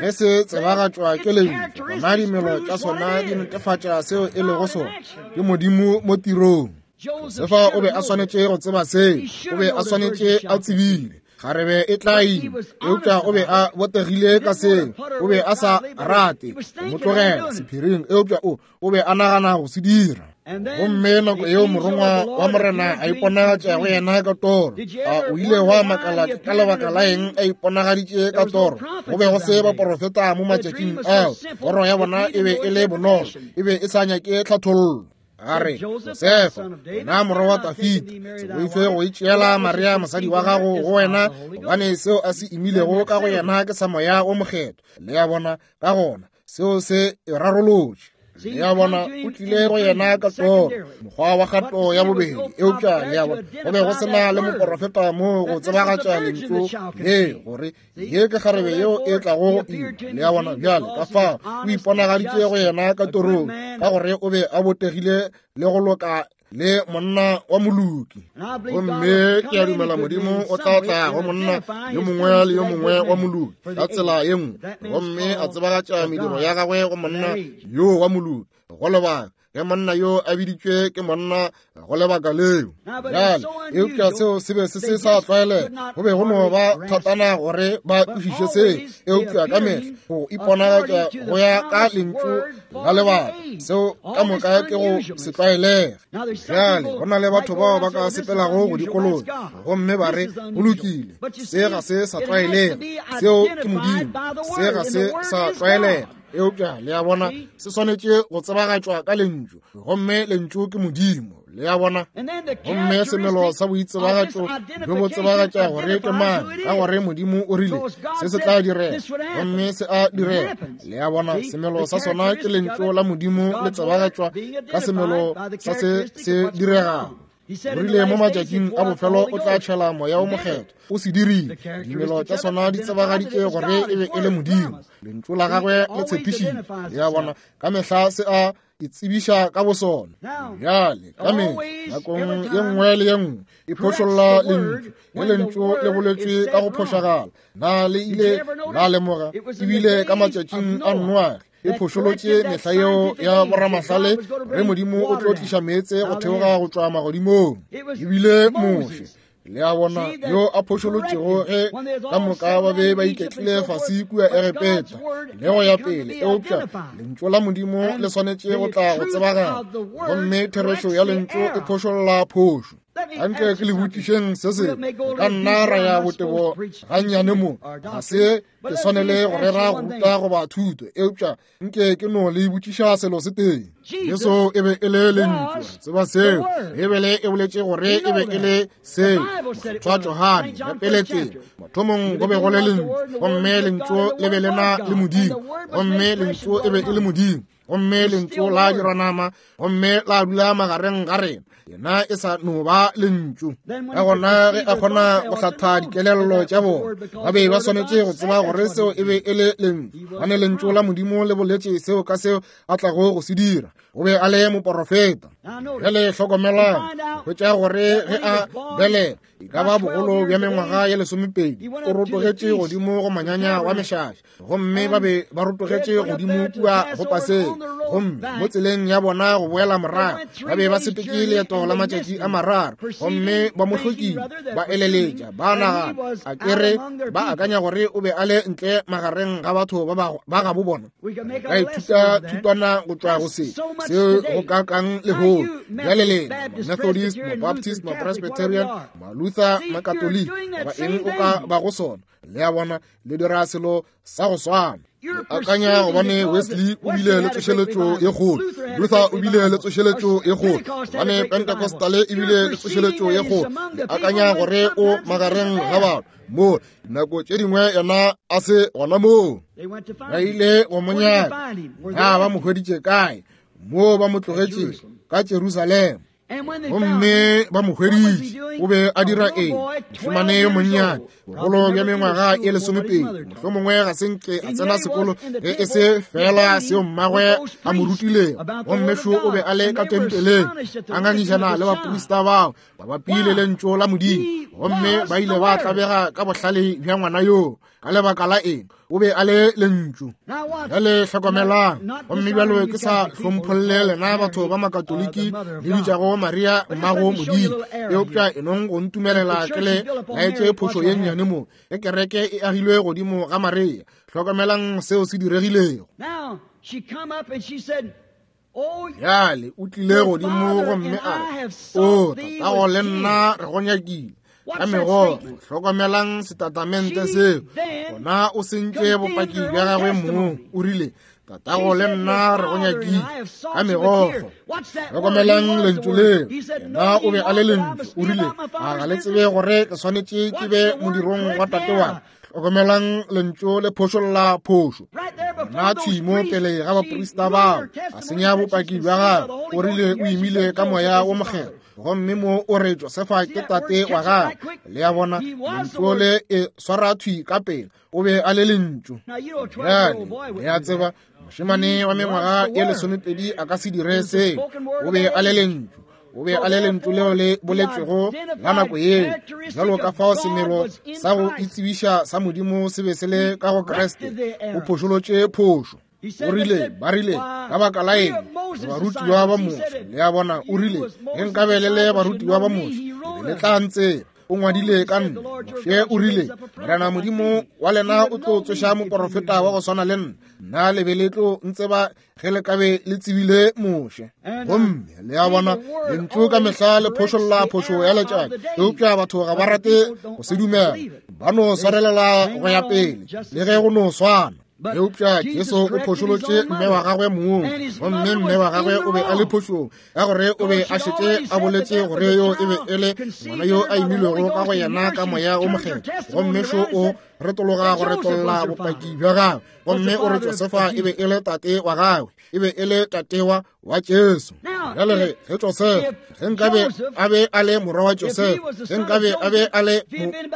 ge se tsebagatšwa ke lentšu, gona dimelo tša sona di netefatša seo e lego sona, ke Modimo mo tirong. Josefa o be a swanetše go tseba seo, o be a swanetše a tsebile kgarebe e tla ima, eupša o be a botegile ka seo. O be a sa rate go mo tlogela sephiring, eupša o o be a nagana go se dira. Gomme nako yeo morongwa wa Morena a iponagatša go yena ka toro. A o ile wa makala ka lebaka la eng a iponagaditše ka toro? Go be go se baporofeta mo matšatšing ao. Toro ya bona e be e le bonolo, e be e sa nyake tlhathollo. A re, Josefa, wena morwa wa Dafida, se boife go itšeela Maria mosadi wa gago go wena, gobane seo a se imilego ka go yena ke sa Moya o Mokgethwa. Le a bona, ka gona seo se e rarolotše. Le a bona, o tlile go yena ka toro, mokgwa wa kgato ya bobedi. Eupša le a bona, go be go se na le moporofeta mo go tsebagatša lentšu le gore ye ke kgarebe yeo e tlago go ima. Le a bona, bjale ka fao o iponagaditše go yena ka torong, ka gore o be a botegile le go loka le monna wa moloki. Gomme ke a dumela Modimo o tla tla go monna yo mongwe le yo mongwe wa moloki ka tsela ye nngwe, gomme a tsebagatša mediro ya gagwe go monna yo wa moloki go lebaka ge monna yo a biditšwe ke monna go lebaka leo. Bjale, eupša seo se be se se sa tlwaelega, go be go no ba thatana gore ba kwešiše seo. Eupša ka mehla go iponagatša go ya ka lentšu la lebaka, seo ka moka ke go se tlwaelege. Bjale go na le batho bao ba ka sepelago go dikologa gomme ba re, go lokile, se ga se sa tlwaelega, seo ke Modimo, se ga se sa tlwaelega. Eupša le a bona, se swanetše go tsebagatšwa ka lentšu, gomme lentšu ke Modimo. Le a bona, gomme semelo sa boitsebagatšo bjo bo tsebagatša gore ke mang, ka gore Modimo o rile se se tla direga, gomme se a direga. Le a bona, semelo sa sona ke lentšu la Modimo le tsebagatšwa ka semelo sa se se diregago. O rile mo matšatšing a bofelo o tla tšhela Moya o Mokgethwa. O se dirile. Dimelo tša sona di tsebagaditše gore e be e le Modimo. Lentšu la gagwe le tshepišitše. Le a bona, ka mehla se a itsebiša ka bosona. Bjale ka mehla nakong ye nngwe le ye nngwe e phošolla lentšu, le lentšu le boletšwe ka go phošagala. Na le ile la lemoga ebile ka matšatšing a Noage e phošolotše mehla yeo ya boramahlale re Modimo o tlo tliša meetse go theoga go tšwa magodimong. Ebile Moshe, le a bona, yo a phošolotšego ge ka moka ba be ba iketlile fase kua Egepeta le go ya pele. Eupša lentšu la Modimo le swanetše go tla go tsebagala, gomme therešo ya lentšu e phošolla phošo. Anke ke le botšišeng se sengwe, ka nna ra ya botebo gannyane mo, ga se ke swanele go rera go ruta goba thuto, eupša nke ke no le botšiša selo se tee. Jesu e be e le lentšu, tseba seo. Bibele e boletše gore e be e le seo. Mokgethwa Johane ya pele tsela, mathomong go be go le lentšu, gomme lentšu le be le na le Modimo, gomme lentšu e be e le Modimo, gomme lentšu la dirwa nama, gomme la dula magareng ga rena. Yena e sa no ba lentšu. Ka gona ge a kgona go hlatha dikelello tša bona, ba be ba swanetše go tseba gore seo e be e le lentšu, gobane lentšu la Modimo le boletše seo ka seo a tlago go se dira. O be a le moporofeta. Bjale hlokomelang, hwetša gore ge a belega e ka ba bogolo bja mengwaga ye lesomepedi, o rotogetše godimo go manyanya wa mešaša, gomme ba be ba rotogetše godimo kua go Paseka. Gomme mo tseleng ya bona go boela morago, ba be ba sepetše leeto la matšatši a mararo, gomme ba mo hlokile, ba eleletša, ba nagana a kere ba akanya gore o be a le ntle magareng ga batho ba ba gabo bona. Ka ithuta thutwana go tšwa go se seo go ka kang lehono. Bjale lena Methodist, Mabaptist, Mapresbyterian, Maluther, Makatoliki, goba eng o ka ba go sona, le a bona, le dira selo sa go swana. Akanya gobane Wesley o bile le tsošeletšo ye kgolo, Luther o bile le tsošeletšo ye kgolo, gobane Pentecostal e bile le tsošeletšo ye kgolo. Le akanya gore o magareng ga batho mo nako tše dingwe yena a se gona moo. Ba ile go mo nyaka. Na ba mo hweditše kae? Moo ba mo tlogetše ka Jerusalema. Gomme ba mo hweditše. O be a dira eng? Mošemane yo monnyane, bogolo bja mengwaga e lesomepedi, mohlomongwe ga se nke a tsena sekolo ge e se fela seo mmagwe a mo rutilego. Gomme šo o be a le ka tempeleng a ngangišana le baprista bao mabapi le lentšu la Modimo, gomme ba ile ba tlabega ka bohlale bja ngwana yoo. Ka lebaka la eng? O be a le lentšu. Bjale hlokomelang, gomme bjalo ke sa hlompholle lena batho ba Makatoliki le bitšago Maria mmago Modimo, eupša e nong go ntumelela ke le laetše phošo ye nnyane mo. Ge kereke e agilwe godimo ga Maria, hlokomelang seo se diregilego. Now she come up and she said, Bjale o tlile godimo gomme a re, o tatago le nna re go nyakile ka megokgo. Hlokomelang setatamente seo. Gona o sentše bopaki bja gagwe mong. O rile, tatago le nna re go nyakile ka megokgo. Hlokomelang lentšu leo. Yena o be a le lentšu. O rile, a ga le tsebe gore ke swanetše ke be modirong wa tate wa ka? Hlokomelang lentšu le phošolla phošo. Gona thwi mo pele ga baprista bao, a senya bopaki bja gagwe. O rile o imile ka moya wo mokgethwa, gomme mo o re Josefa ke tate wa gagwe. Le a bona, lentšu le e swara thwi ka pele. O be a le lentšu. Bjale le a tseba, mošemane wa mengwaga ye lesomepedi a ka se dire seo. O be a le lentšu. O be a le lentšu leo le boletšwego la nako yeo. Bjalo ka fao semelo sa go itsebiša sa Modimo se be se le ka go Kriste, o phošolotše phošo. O rile, ba rile, ka baka la eng re barutiwa ba Moshe? Le a bona, o rile, ge nkabe le le barutiwa ba Moshe, le be le tla ntseba. O ngwadile ka nna. Moshe o rile, Morena Modimo wa lena o tlo tsoša moporofeta wa go swana le nna. Nna le be le tlo ntseba ge le kabe le tsebile Moshe. Gomme le a bona, lentšu ka mehla le phošolla phošo ya letšatši, eupša batho ga ba rate go se dumela. Ba no swarelela go ya pele le ge go no swana. Eupša Jesu o phošolotše mme wa gagwe mong, gomme mme wa gagwe o be a le phošong, ka gore o be a šetše a boletše gore yo e be e le ngwana yo a imilwego ka go yena ka moya o mokgethwa. Gomme šo o retologa go retolla bopaki bja gagwe, gomme o re Josefa e be e le tate wa gagwe, e be e le tate wa wa Jesu. Bjale ge ge Josefa, ge nkabe a be a le morwa wa Josefa, ge nkabe a be a le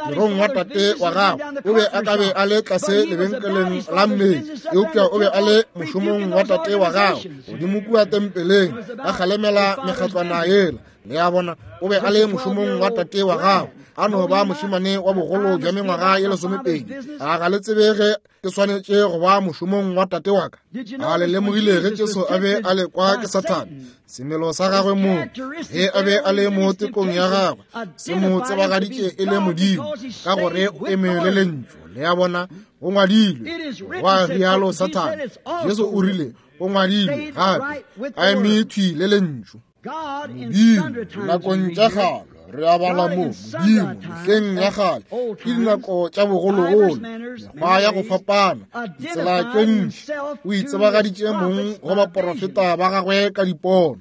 morong wa tate wa gagwe, o be a ka be a le tlase lebenkeleng la mmele, eupša o be a le mošomong wa tate wa gagwe godimo kua tempeleng, a kgalemela mekgatlwana yela. Le a bona, o be a le mošomong wa tate wa gagwe, a no ba mošemane wa bogolo bja mengwaga ye lesomepedi. A ga le tsebe ge ke swanetše go ba mošomong wa tate wa ka? A le lemogile ge Jesu a be a lekwa ke Sathane, semelo sa gagwe mong, ge a be a le mo tekong ya gagwe, se mo tsebagaditše e le Modimo, ka gore o eme le lentšu. Le a bona, go ngwadilwe, gwa rialo Sathane. Jesu o rile, go ngwadilwe gape, a eme thwi le lentšu. Modimo, nakong tša kgale, re a bala mo, Modimo, mehleng ya kgale, ke dinako tša bogologolo, mekgwa ya go fapana, ditsela tše ntši, o itsebagaditše mong go baporofeta ba gagwe ka dipono.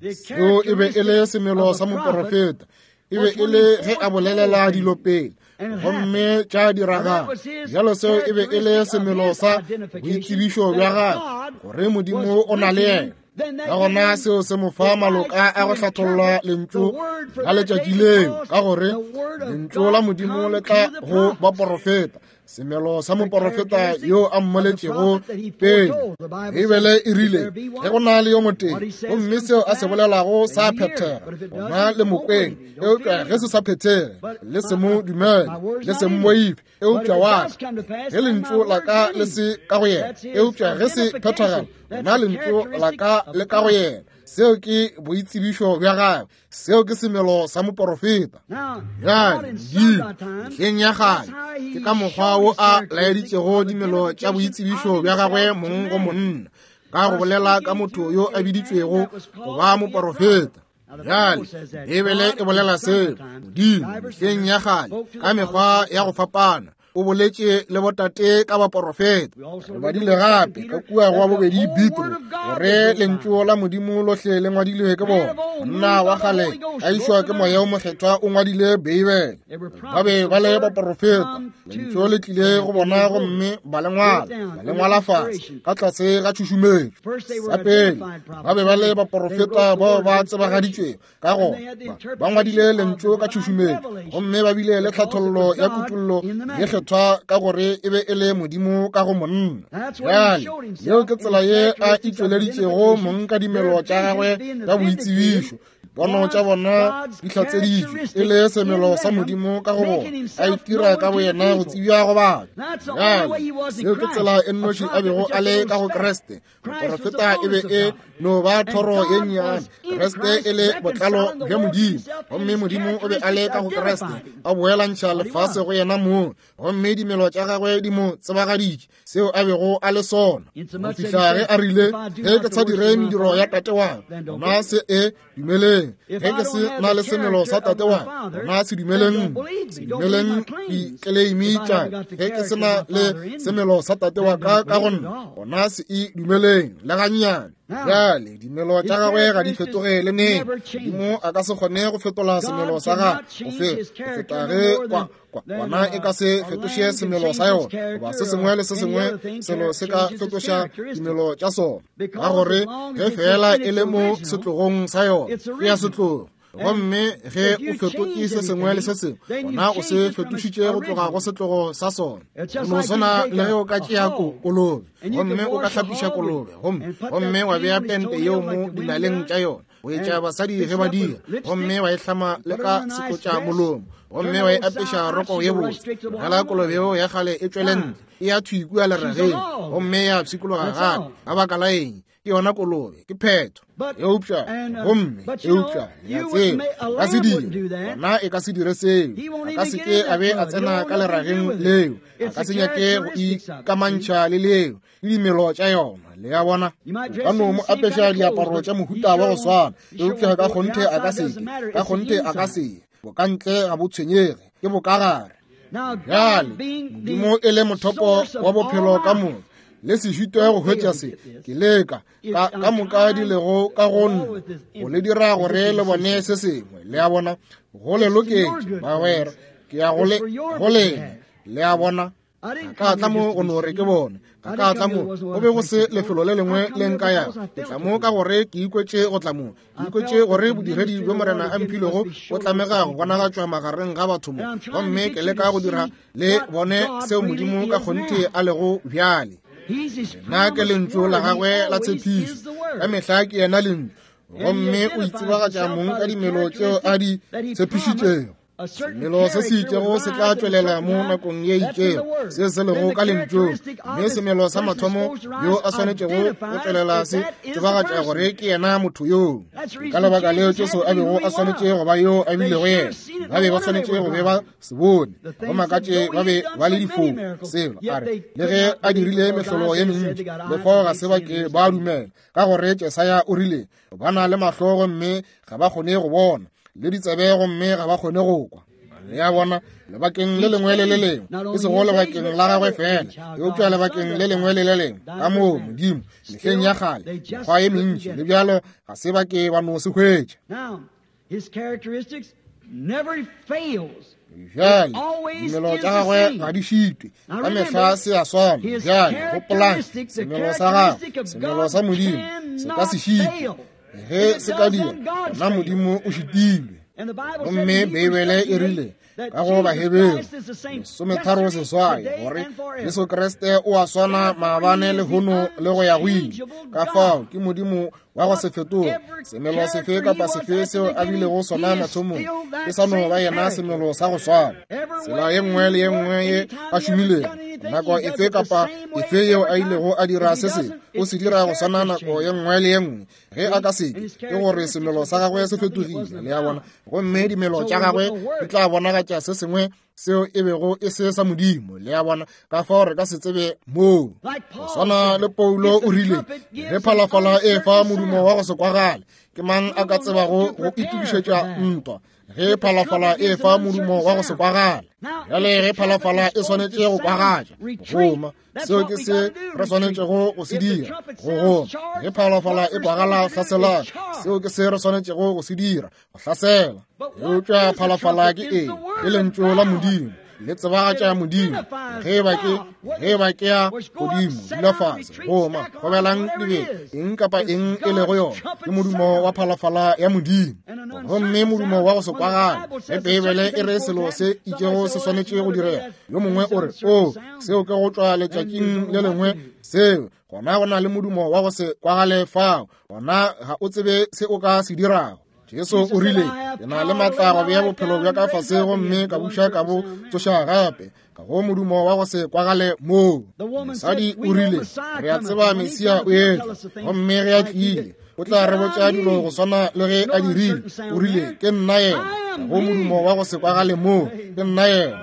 Seo e be e le semelo sa moporofeta, e be e le ge a bolelela dilo pele, gomme tša diragala. Bjalo seo e be e le semelo sa boitsebišo bja gagwe, gore Modimo o na le yena. Ka gona seo se mo fa maloka a go hlatholla lentšu la letšatši leo, ka gore lentšu la Modimo le tla go baporofeta. Semelo sa moporofeta yo a mmoletšego pele. Beibele e rile, ge go na le yo motee, gomme seo a se bolelago sa phethega, gona le mokweng, eupša ge se sa phethege, le se mo dumele, le se mmoife, eupša wa ka, ge lentšu la ka le se ka go yena, eupša ge se phethagala, gona lentšu la ka le ka go yena. Seo ke boitsebišo bja gagwe. Seo ke semelo sa moporofeta. Bjale, Modimo, mehleng ya kgale, ke ka mokgwa wo a laeditšego dimelo tša boitsebišo bja gagwe mong go monna, ka go bolela ka motho yo a biditšwego go ba moporofeta. Bjale, Beibele e bolela seo. Modimo, mehleng ya kgale, ka mekgwa ya go fapana, o boletše le botate ka baporofeta. Re badile gape ka kua go bobedi Petro gore lentšu la Modimo lohle le ngwadilwe ke bona. Monna wa kgale a išwa ke moya o mokgethwa o ngwadile Beibele. Ba be ba le baporofeta. Lentšu le tlile go bona gomme ba le ngwala, ba le ngwala fase ka tlase ga tšhušumetšo. Sa pele ba be ba le baporofeta bao ba tsebagaditšwego, ka gona ba ngwadile lentšu ka tšhušumetšo, gomme ba bile le tlhathollo ya kutollo ye kgethwa, ka gore e be e le Modimo ka go monna. Bjale yeo ke tsela ye a itšweleditšego mong ka dimelo tša gagwe ka boitsebišo. Dipono tša bona di hlatseditšwe e le semelo sa Modimo ka go bona, a itira ka boyena go tsebja go batho. Bjale seo ke tsela e nnoši a bego a le ka go Kriste. Moporofeta e be e no ba thoro ye nnyane, Kriste e le botlalo bja Modimo, gomme Modimo o be a le ka go Kriste, a boelantšha lefase go yena mong, gomme dimelo tša gagwe di mo tsebagaditše. seo a bego a le sona. Go fihla ge a rile, ge ke sa dire mediro ya tate wa ka, gona se e dumeleng. Ge ke se na le semelo sa tate wa ka, gona se dumeleng, se dumeleng dikeleimi tša. Ge ke se na le semelo sa tate wa ka ka go nna, gona se e dumeleng le gannyane. Bjale dimelo tša gagwe ga di fetoge le neng. Modimo a ka se kgone go fetola semelo sa gagwe go feta ge kwana e ka se fetoše semelo sa yona, goba se sengwe le se sengwe selo se ka fetoša dimelo tša sona, ka gore ge fela e le mo setlogong sa yona, ke ya setlogo. Gomme ge o fetotše se sengwe le se sengwe, gona o se fetošitše go tloga go setlogo sa sona. Go no swana le ge o ka tšea kolobe, gomme o ka hlapiša kolobe, gomme gomme wa bea pente yeo mo dinaleng tša yona, o etša basadi ge ba dira, gomme wa e hlama le ka setlotša molomo, gomme wa e apeša roko ye botse. Tlogela kolobe yeo ya kgale e tšwele ntle, e ya thwi kua lerageng, gomme ya pshikologa gape. Ka baka la eng? Ke yona kolobe, ke phetho. Eupša, gomme, eupša, ya tseba, ka se dire, gona e ka se dire seo. A ka se ke a be a tsena ka lerageng leo, a ka se nyake go ikamantšha le leo, le dimelo tša yona. Le a bona, o ka no mo apeša diaparo tša mohuta wa go swana, eupša ka kgonthe a ka se ke, ka kgonthe a ka se. Bokantle ga bo tshwenyege, ke bokagare. Bjale, Modimo e le mothopo wa bophelo ka moka, le se šitwe go hwetša se, ke leka ka ka moka di lego ka go nna go le dira gore le bone se sengwe. Le a bona, go le loketše bagwera, ke ya go le go lena. Le a bona, ka tla mo go no re ke bone, ka ka tla mo go be go se lefelo le lengwe le nka ya. Ke tla mo ka gore ke ikwetše go tla mo, ke ikwetše gore bodiredi bjo Morena a mphilego bo tlamega go bonagatšwa magareng ga batho mo, gomme ke leka go dira le bone seo Modimo ka kgonthe a lego bjale. Nna ke lentšu la gagwe la tshepišo, ka mehla ke yena lentšu, gomme o itsebagatša mong ka dimelo tšeo a di tshepišitšego. Semelo se se itšego se tla tšwelela mo nakong ye itšego, se se lego ka lentšung, mme semelo sa mathomo yo a swanetšego go tšwelela se tsebagatša gore ke yena motho yoo. Ka lebaka leo Jesu a bego a swanetše go ba yo a bilego yena, ba be ba swanetše go be ba se bone, go makatše ba be ba le difofu. Selo a re, le ge a dirile mehlolo ye mentši, le fao ga se ba ke ba dumela, ka gore Jesaya o rile, ba na le mahlo gomme ga ba kgone go bona, le ditsebe gomme ga ba kgone go kwa. Le a bona, lebakeng le lengwe le le lengwe, e sego lebakeng la gagwe fela, eupša lebakeng le lengwe le le lengwe, ka moo Modimo mehleng ya kgale, mekgwa ye mentši le bjalo ga se ba ke ba no se hwetša. Bjale dimelo tša gagwe ga di šitwe, ka mehla se a swana. Bjale gopolang, semelo sa gagwe, semelo sa Modimo se ka se šitwe. Ge se ka dira, gona Modimo o šitilwe. Gomme Beibele e rile ka go Baheberu lesometharo seswai gore Jesu Kriste o a swana maabane lehono le go ya go ile. Ka fao ke Modimo wa go se fetoge. Semelo sefe kapa sefe seo a bilego sona mathomong, ke sa no ba yena semelo sa go swana. Tsela ye nngwe le ye nngwe ye a šomilego, nako efe kapa efe yeo a ilego a dira se sengwe, o se dira go swana nako ye nngwe le ye nngwe. Ge a ka seke, ke gore semelo sa gagwe se fetogile. Le a bona, gomme dimelo tša gagwe di tla bonagatša se sengwe seo e bego e se sa Modimo. Le a bona, ka fao re ka se tsebe moo. Go swana le Paulo o rile, ge phalafala e fa modumo wa go se kwagale, ke mang a ka tsebago go itokišetša ntwa? Ge phalafala e fa modumo wa go se kwagale. Bjale ge phalafala e swanetše go kwagatša, goma, seo ke se re swanetšego go se dira, go goma. Ge phalafala e kwagala hlaselang, seo ke se re swanetšego go se dira, go hlasela. Eupša phalafala ke eng? Ke lentšu la Modimo, le tsebagatša Modimo. Ge ba ke, ge ba ke ya godimo, dula fase, goma, gobelang dibetša, eng kapa eng e lego yona, ke modumo wa phalafala ya Modimo. Gomme modumo wa go se kwagale, ge Beibele e re selo se itšego se swanetše go direga, yo mongwe o re, o, seo ke go tšwa letšatšing le lengwe, seo, gona go na le modumo wa go se kwagale fao, gona ga o tsebe se o ka se dirago. Jesu o rile, ke na le matla go bea bophelo bja ka fase gomme ka buša ka bo tsoša gape, ka go modumo wa go se kwagale moo. Mosadi o rile, re a tseba Mesia o etla, gomme ge a tlile, o tla re botša dilo go swana le ge a dirile. O rile, ke nna yena, ka go modumo wa go se kwagale moo, ke nna yena.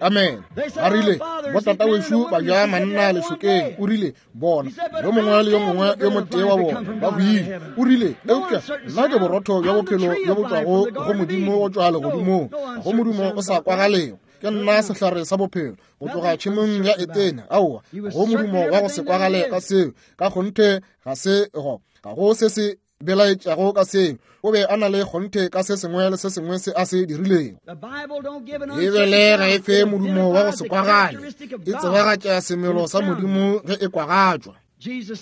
Amen. Ba rile, botata wešo ba ja manna lešokeng. O rile, bona yo mongwe le yo mongwe yo motee wa bona ba hwile. O rile, eupša nna ke borotho bja bophelo bjo bo tšwago go Modimo go tšwa legodimong, go modumo o sa kwagalego. Ke nna sehlare sa bophelo go tloga tšhemong ya Etene. Aowa, go modumo wa go se kwagale ka seo. Ka kgonthe ga se go ga go se se belaetšago ka seo. O be a na le kgonthe ka se sengwe le se sengwe se a se dirilego. Bibele ga e fe modumo wa go se kwagale, e tsebagatša semelo sa Modimo ge e kwagatšwa.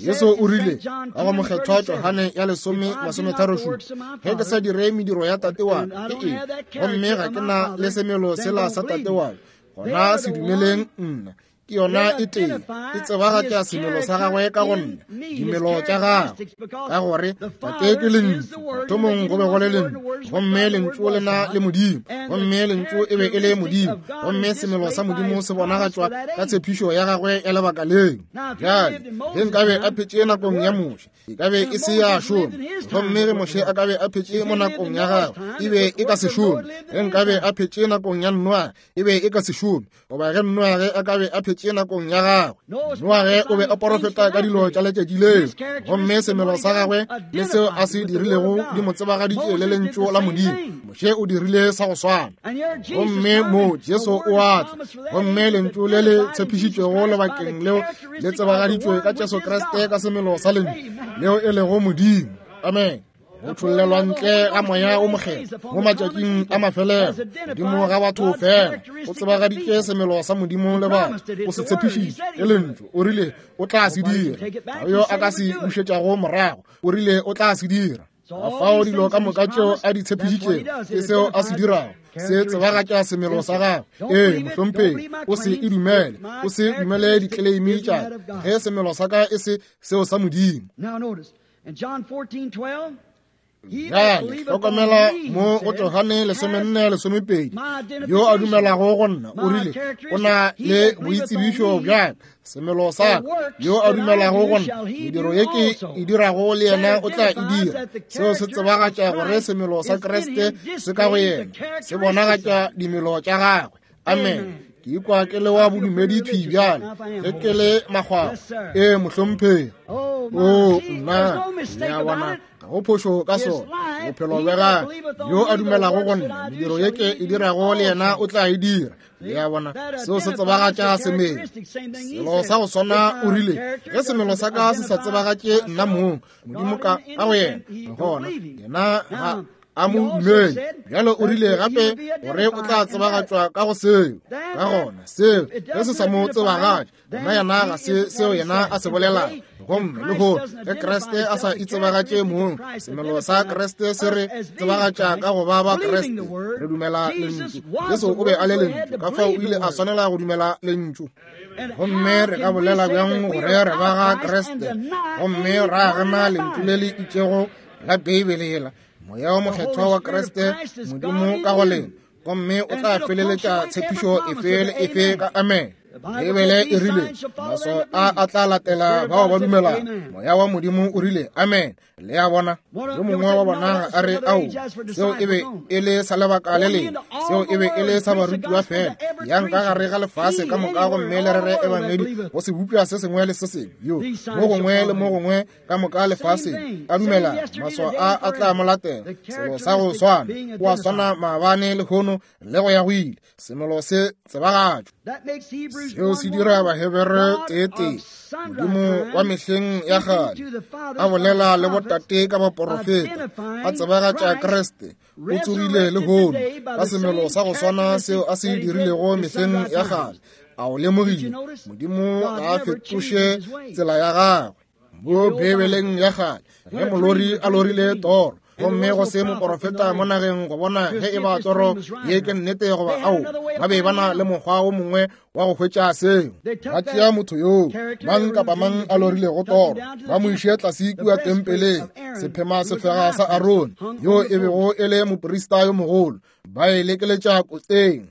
Jesu o rile ka go mokgethwa Johane ya lesome masometharo šupa, ge ke sa dire mediro ya tate wa ka, ke eng? Gomme ga ke na le semelo sela sa tate wa ka, gona se dumeleng nna. Ke yona e tee, e tsebagatša semelo sa gagwe ka go nna, dimelo tša gagwe. Ka gore tate ke lentšu, mathomong go be go le lentšu, gomme lentšu le na le Modimo, gomme lentšu e be e le Modimo, gomme semelo sa Modimo se bonagatšwa ka tshepišo ya gagwe ya lebaka leo. Bjale ge nkabe a phetše nakong ya Moshe, e ka be e se ya šoma, gomme ge Moshe a ka be a phetše mo nakong ya gagwe, e be e ka se šome. Ge nkabe a phetše nakong ya Noage, e be e ka se šome, goba ge Noage a ka be a phetše nakong ya gagwe. Noage o be a porofeta ka dilo tša letšatši leo, gomme semelo sa gagwe le seo a se dirilego di mo tsebagaditše le lentšu la Modimo. Moshe o dirile sa go swana, gomme mo Jesu o a tla, gomme lentšu le le tshepišitšwego lebakeng leo le tsebagaditšwe ka Jesu Kriste ka semelo sa lentšu leo e lego Modimo. Amen. Go tšhollelwa ntle ga moya o mokgethwa mo matšatšing a mafelelo godimo ga batho fela, o tsebagaditše semelo sa Modimo le batho. O se tshepišitše ke lentšu. O rile o tla se dira, ga yo a ka se bušetšago morago. O rile o tla se dira. Ka fao dilo ka moka tšeo a di tshepišitšego ke seo a se dirago, se tsebagatša semelo sa gagwe. Ee, mohlomphegi, o se e dumele, o se dumele ditleleimi tša ka, ge semelo sa ka e se seo sa Modimo. Bjale hlokomela mo go Johane lesomenne lesomepedi, yo a dumelago go nna, o rile o na le boitsebišo bja semelo sa ka. Yo a dumelago go nna, mediro ye ke e dirago le yena o tla e dira. Seo se tsebagatša gore semelo sa Kriste se ka go yena, se bonagatša dimelo tša gagwe. Amen. Ke ikwa ke le wa bodumedi thwi bjale, ge ke le makgwakgwa. Ee, mohlomphegi. O nna, le a bona, ga go phošo ka sona. Bophelo bja gagwe, yo a dumelago go nna, mediro ye ke e dirago le yena o tla e dira. Le a bona, seo se tsebagatša semelo. Selo sa go swana o rile, ge semelo sa ka se sa tsebagatše nna mong, Modimo ka ka go yena, gona yena ga a mo dumele. Bjale o rile gape gore o tla tsebagatšwa ka go seo. Ka gona seo ge se sa mo tsebagatše, gona yena ga se seo yena a se bolelago. Gomme lehono ge Kriste a sa itsebagatše mong, semelo sa Kriste se re tsebagatša ka go ba ba Kriste. Re dumela lentšu. Jesu o be a le lentšu, ka fao o ile a swanela go dumela lentšu. Gomme re ka bolela bjang gore re ba ga Kriste gomme ra gana lentšu le le itšego la Beibele la Moya o mokgethwa wa Kriste, Modimo ka go lena, gomme o tla feleletša tshepišo efe le efe ka amen. Beibele e rile maswao a a tla latela bao ba dumelago. Moya wa Modimo o rile amen. Le a bona, yo mongwe wa bona a re, ao, seo e be e le sa lebaka le lengwe, seo e be e le sa barutiwa fela. Yang ka gare ga lefase ka moka gomme le rere ebangedi go sebopša se sengwe le se sengwe, yo mo gongwe le mo gongwe ka moka lefaseng a dumela, maswao a a tla mo latela. Selo sa go swana, o a swana maabane lehono le go ya go ile. Semelo se tsebagatšwa. Seo se dira Bahebere tee-tee, Modimo wa mehleng ya kgale a bolela le botate ka baporofeta, a tsebagatša Kriste. O tsogile lehono ka semelo sa go swana seo a se dirilego mehleng ya kgale. A o lemogile? Modimo ga a fetoše tsela ya gagwe. Mo Bibeleng ya kgale, ge molori a lorile toro, gomme go se moporofeta mo nageng go bona ge e ba toro ye ke nnete goba ao, ba be ba na le mokgwa o mongwe wa go hwetša seo. Ba tšea motho yoo, mang kapa mang a lorilego toro, ba mo iše tlase kua tempeleng, sephema sefega sa Arone, yo e bego e le moprista yo mogolo, ba e lekeletša koteng.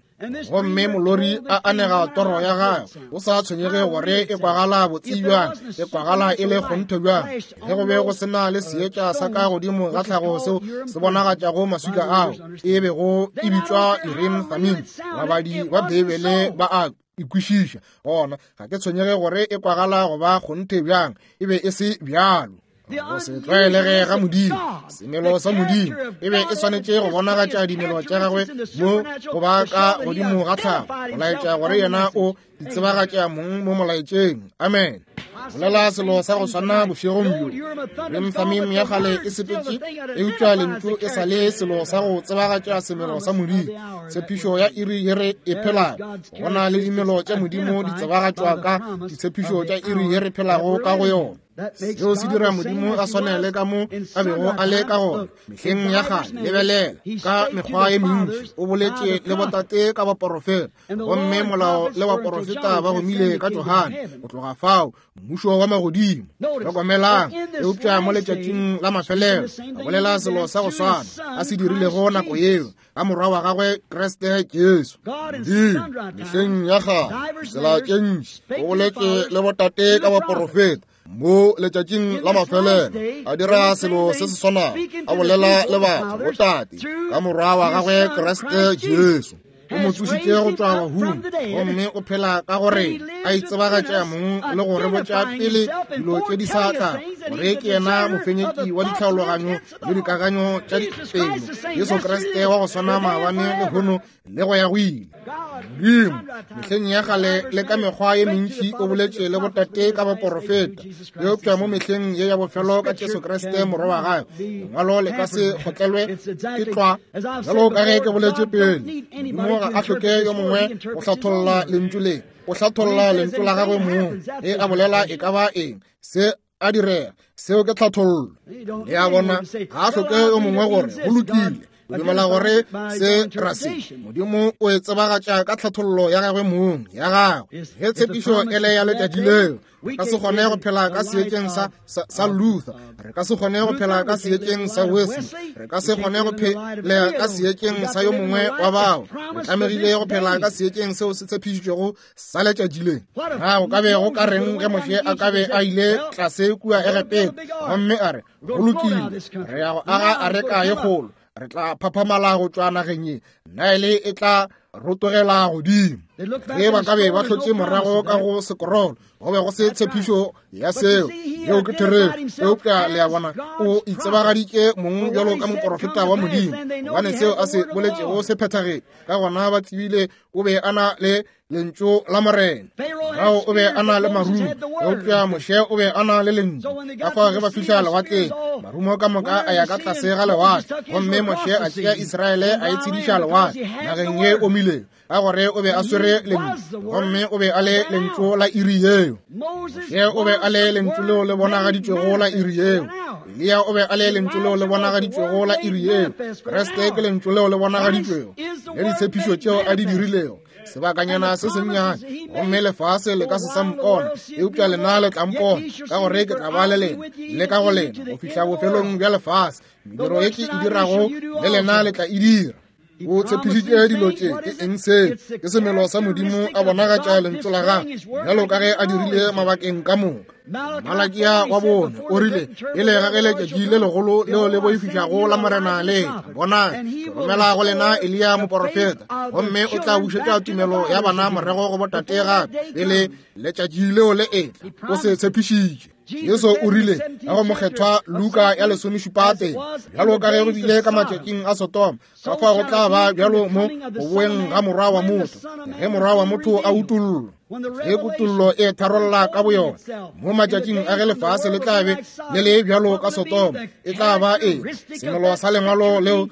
Gomme molori a anega toro ya gagwe, o sa tshwenyege gore e kwagala botse bjang, e kwagala e le kgonthe bjang. Ge go be go se na le seetša sa ka godimo ga tlhago seo se bonagatšago maswika ao, e bego e bitšwa Urim Thummim, babadi ba Beibele ba a ikwešiša. Gona ga ke tshwenyege gore e kwagala go ba kgonthe bjang, e be e se bjalo. Go se tlwaelege ga Modimo, semelo sa Modimo e be e swanetše go bonagatša dimelo tša gagwe mo go ba ka godimo ga tlhago, go laetša gore yena o itsebagatša mong mo molaetšeng. Amen. Bolela selo sa go swana bošegong bjo. Urim Thummim ya kgale e sepetše, eupša lentšu e sa le selo sa go tsebagatša semelo sa Modimo. Tshepišo ya iri ye re e phelago, go na le dimelo tša Modimo di tsebagatšwa ka ditshepišo tša iri ye re phelago ka go yona. Seo se dira Modimo a swanele ka mo a bego a le ka gona mehleng ya kgale. Lebelela ka mekgwa ye mentši o boletše le botate ka baporofeta, gomme molao le baporofeta ba gomile ka Johane. Go tloga fao mmušo wa magodimo. Hlokomelang, eupša mo letšatšing la mafelelo a bolela selo sa go swana a se dirilego nako yeo ka morwa wa gagwe Kriste Jesu. Modimo mehleng ya kgale tsela tše ntši o boletše le botate ka baporofeta, mo letšatšing la mafelelo a dira selo se se swanago, a bolela le batho botate ka morwa wa gagwe Kriste Jesu. O mo tsošitše go tšwa bahung, gomme o phela ka gore a itsebagatša mong le go re botša pele dilo tše di sa tla, gore ke yena mofenyeki wa ditlhaologanyo le dikakanyo tša dipelo, Jesu Kriste wa go swana maabane lehono le go ya go ile. Modimo mehleng ya kgale le ka mekgwa ye mentši o boletše le botate ka baporofeta, eupša mo mehleng ye ya bofelo ka Jesu Kriste morwa wa gagwe. Lengwalo le ka se kgotlelwe ke tlwa. Bjalo ka ge ke boletše pele, Modimo ga a hloke yo mongwe go hlatholla lentšu le, o hlatholla lentšu la gagwe mong. Ge a bolela e ka ba eng, se a direga, seo ke tlhathollo. Le a bona, ga a hloke yo mongwe gore go lokile. O dumela gore se ra se Modimo o e tsebagatša ka tlhathollo ya gagwe mong ya gagwe. Ge tshepišo e le ya letšatši leo, re ka se kgone go phela ka seetšeng sa, sa, sa Luther, re ka se kgone go phela ka seetšeng sa Wesley, re ka se kgone go phela ka seetšeng sa yo mongwe wa bao. Re tlamegile go phela ka seetšeng seo se tshepišitšwego sa letšatši le. Na go ka be go ka reng ge Moshe a ka be a ile tlase kua Egepeta gomme a re, go lokile, re ya go aga areka ye kgolo, re tla phaphamala go tšwa nageng ye, Nile e tla rotogela godimo. Ge ba ka be ba hlotše morago ka go sekorolo, go be go se tshepišo ya seo. Yeo ke therešo. Eupša le a bona, o itsebagaditše mong bjalo ka moporofeta wa Modimo, gobane seo a se boletšego se phethagetše. Ka gona ba tsebile o be a na le lentšu la Morena. Farao o be a na le marumo, eupša Moshe o be a na le lentšu. Ka fao ge ba fihla lewatleng, marumo ka moka a ya ka tlase ga lewatle, gomme Moshe a tšea Israele a e tshediša lewatle nageng ye omilego, ka gore o be a swere lentšu, gomme o be a le lentšu la iri yeo. Moshe o be a le lentšu leo le bonagaditšwego la iri yeo. Eliya o be a le lentšu leo le bonagaditšwego la iri yeo. Kriste ke lentšu leo le bonagaditšwego le ditshepišo tšeo a di dirilego. Sebakanyana se sennyane, gomme lefase le ka se sa mpona, eupša lena le tla mpona, ka gore ke tla ba le lena le ka go lena go fihla bofelong bja lefase. Mediro ye ke e dirago le lena le tla e dira. O tshepišitše dilo tše. Ke eng seo? Ke semelo sa Modimo a bonagatša lentšu la gagwe bjalo ka ge a dirile mabakeng ka moka. Malakia wa bone o rile, pele ga ge letšatši le legolo leo le boifišago la Morena le etla, bonang, ke romela go lena Eliya moporofeta, gomme o tla bušetša tumelo ya bana morago go botate gape pele letšatši leo le etla. O se tshepišitše. Jesu o rile ka go mokgethwa Luka ya lesomešupa tee, bjalo ka ge go bile ka matšatšing a Sodoma, ka fao go tla ba bjalo mo go boeng ga morwa wa motho, ge morwa wa motho a utollwa. Ge kutollo e tharolla ka boyona mo matšatšing a ge lefase le tla be le le bjalo ka Sodoma, e tla ba eng? Semelo sa lengwalo leo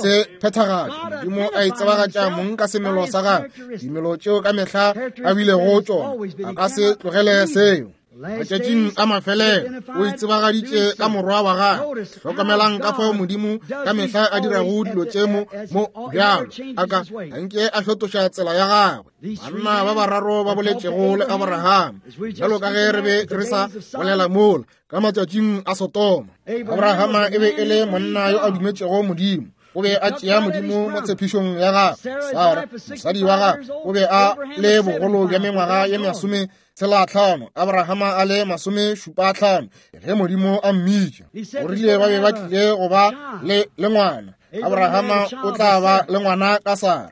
se phethagatšwa. Modimo a itsebagatša mong ka semelo sa gagwe, dimelo tšeo ka mehla a bilego tšona, a ka se tlogele seo. Matšatšing a mafelelo o itsebagaditše ka morwa wa gagwe. Hlokomelang ka fao Modimo ka mehla a dirago dilo tše mo mo bjalo a ka anke a fetoša tsela ya gagwe. Banna ba bararo ba boletšego le Abraham, bjalo ka ge re be re sa bolela mola ka matšatšing a Sodoma. Abrahama e be e le monna yo a dumetšego Modimo. O be a tšea Modimo mo tshepišong ya gagwe. Sara, mosadi wa gagwe, o be a le bogolo bja mengwaga ye masome tshela tlhano, Abrahama a le masome šupa tlhano ge Modimo a mmitša. O rile ba be ba tlile go ba le le ngwana. Abrahama o tla ba le ngwana ka Sara.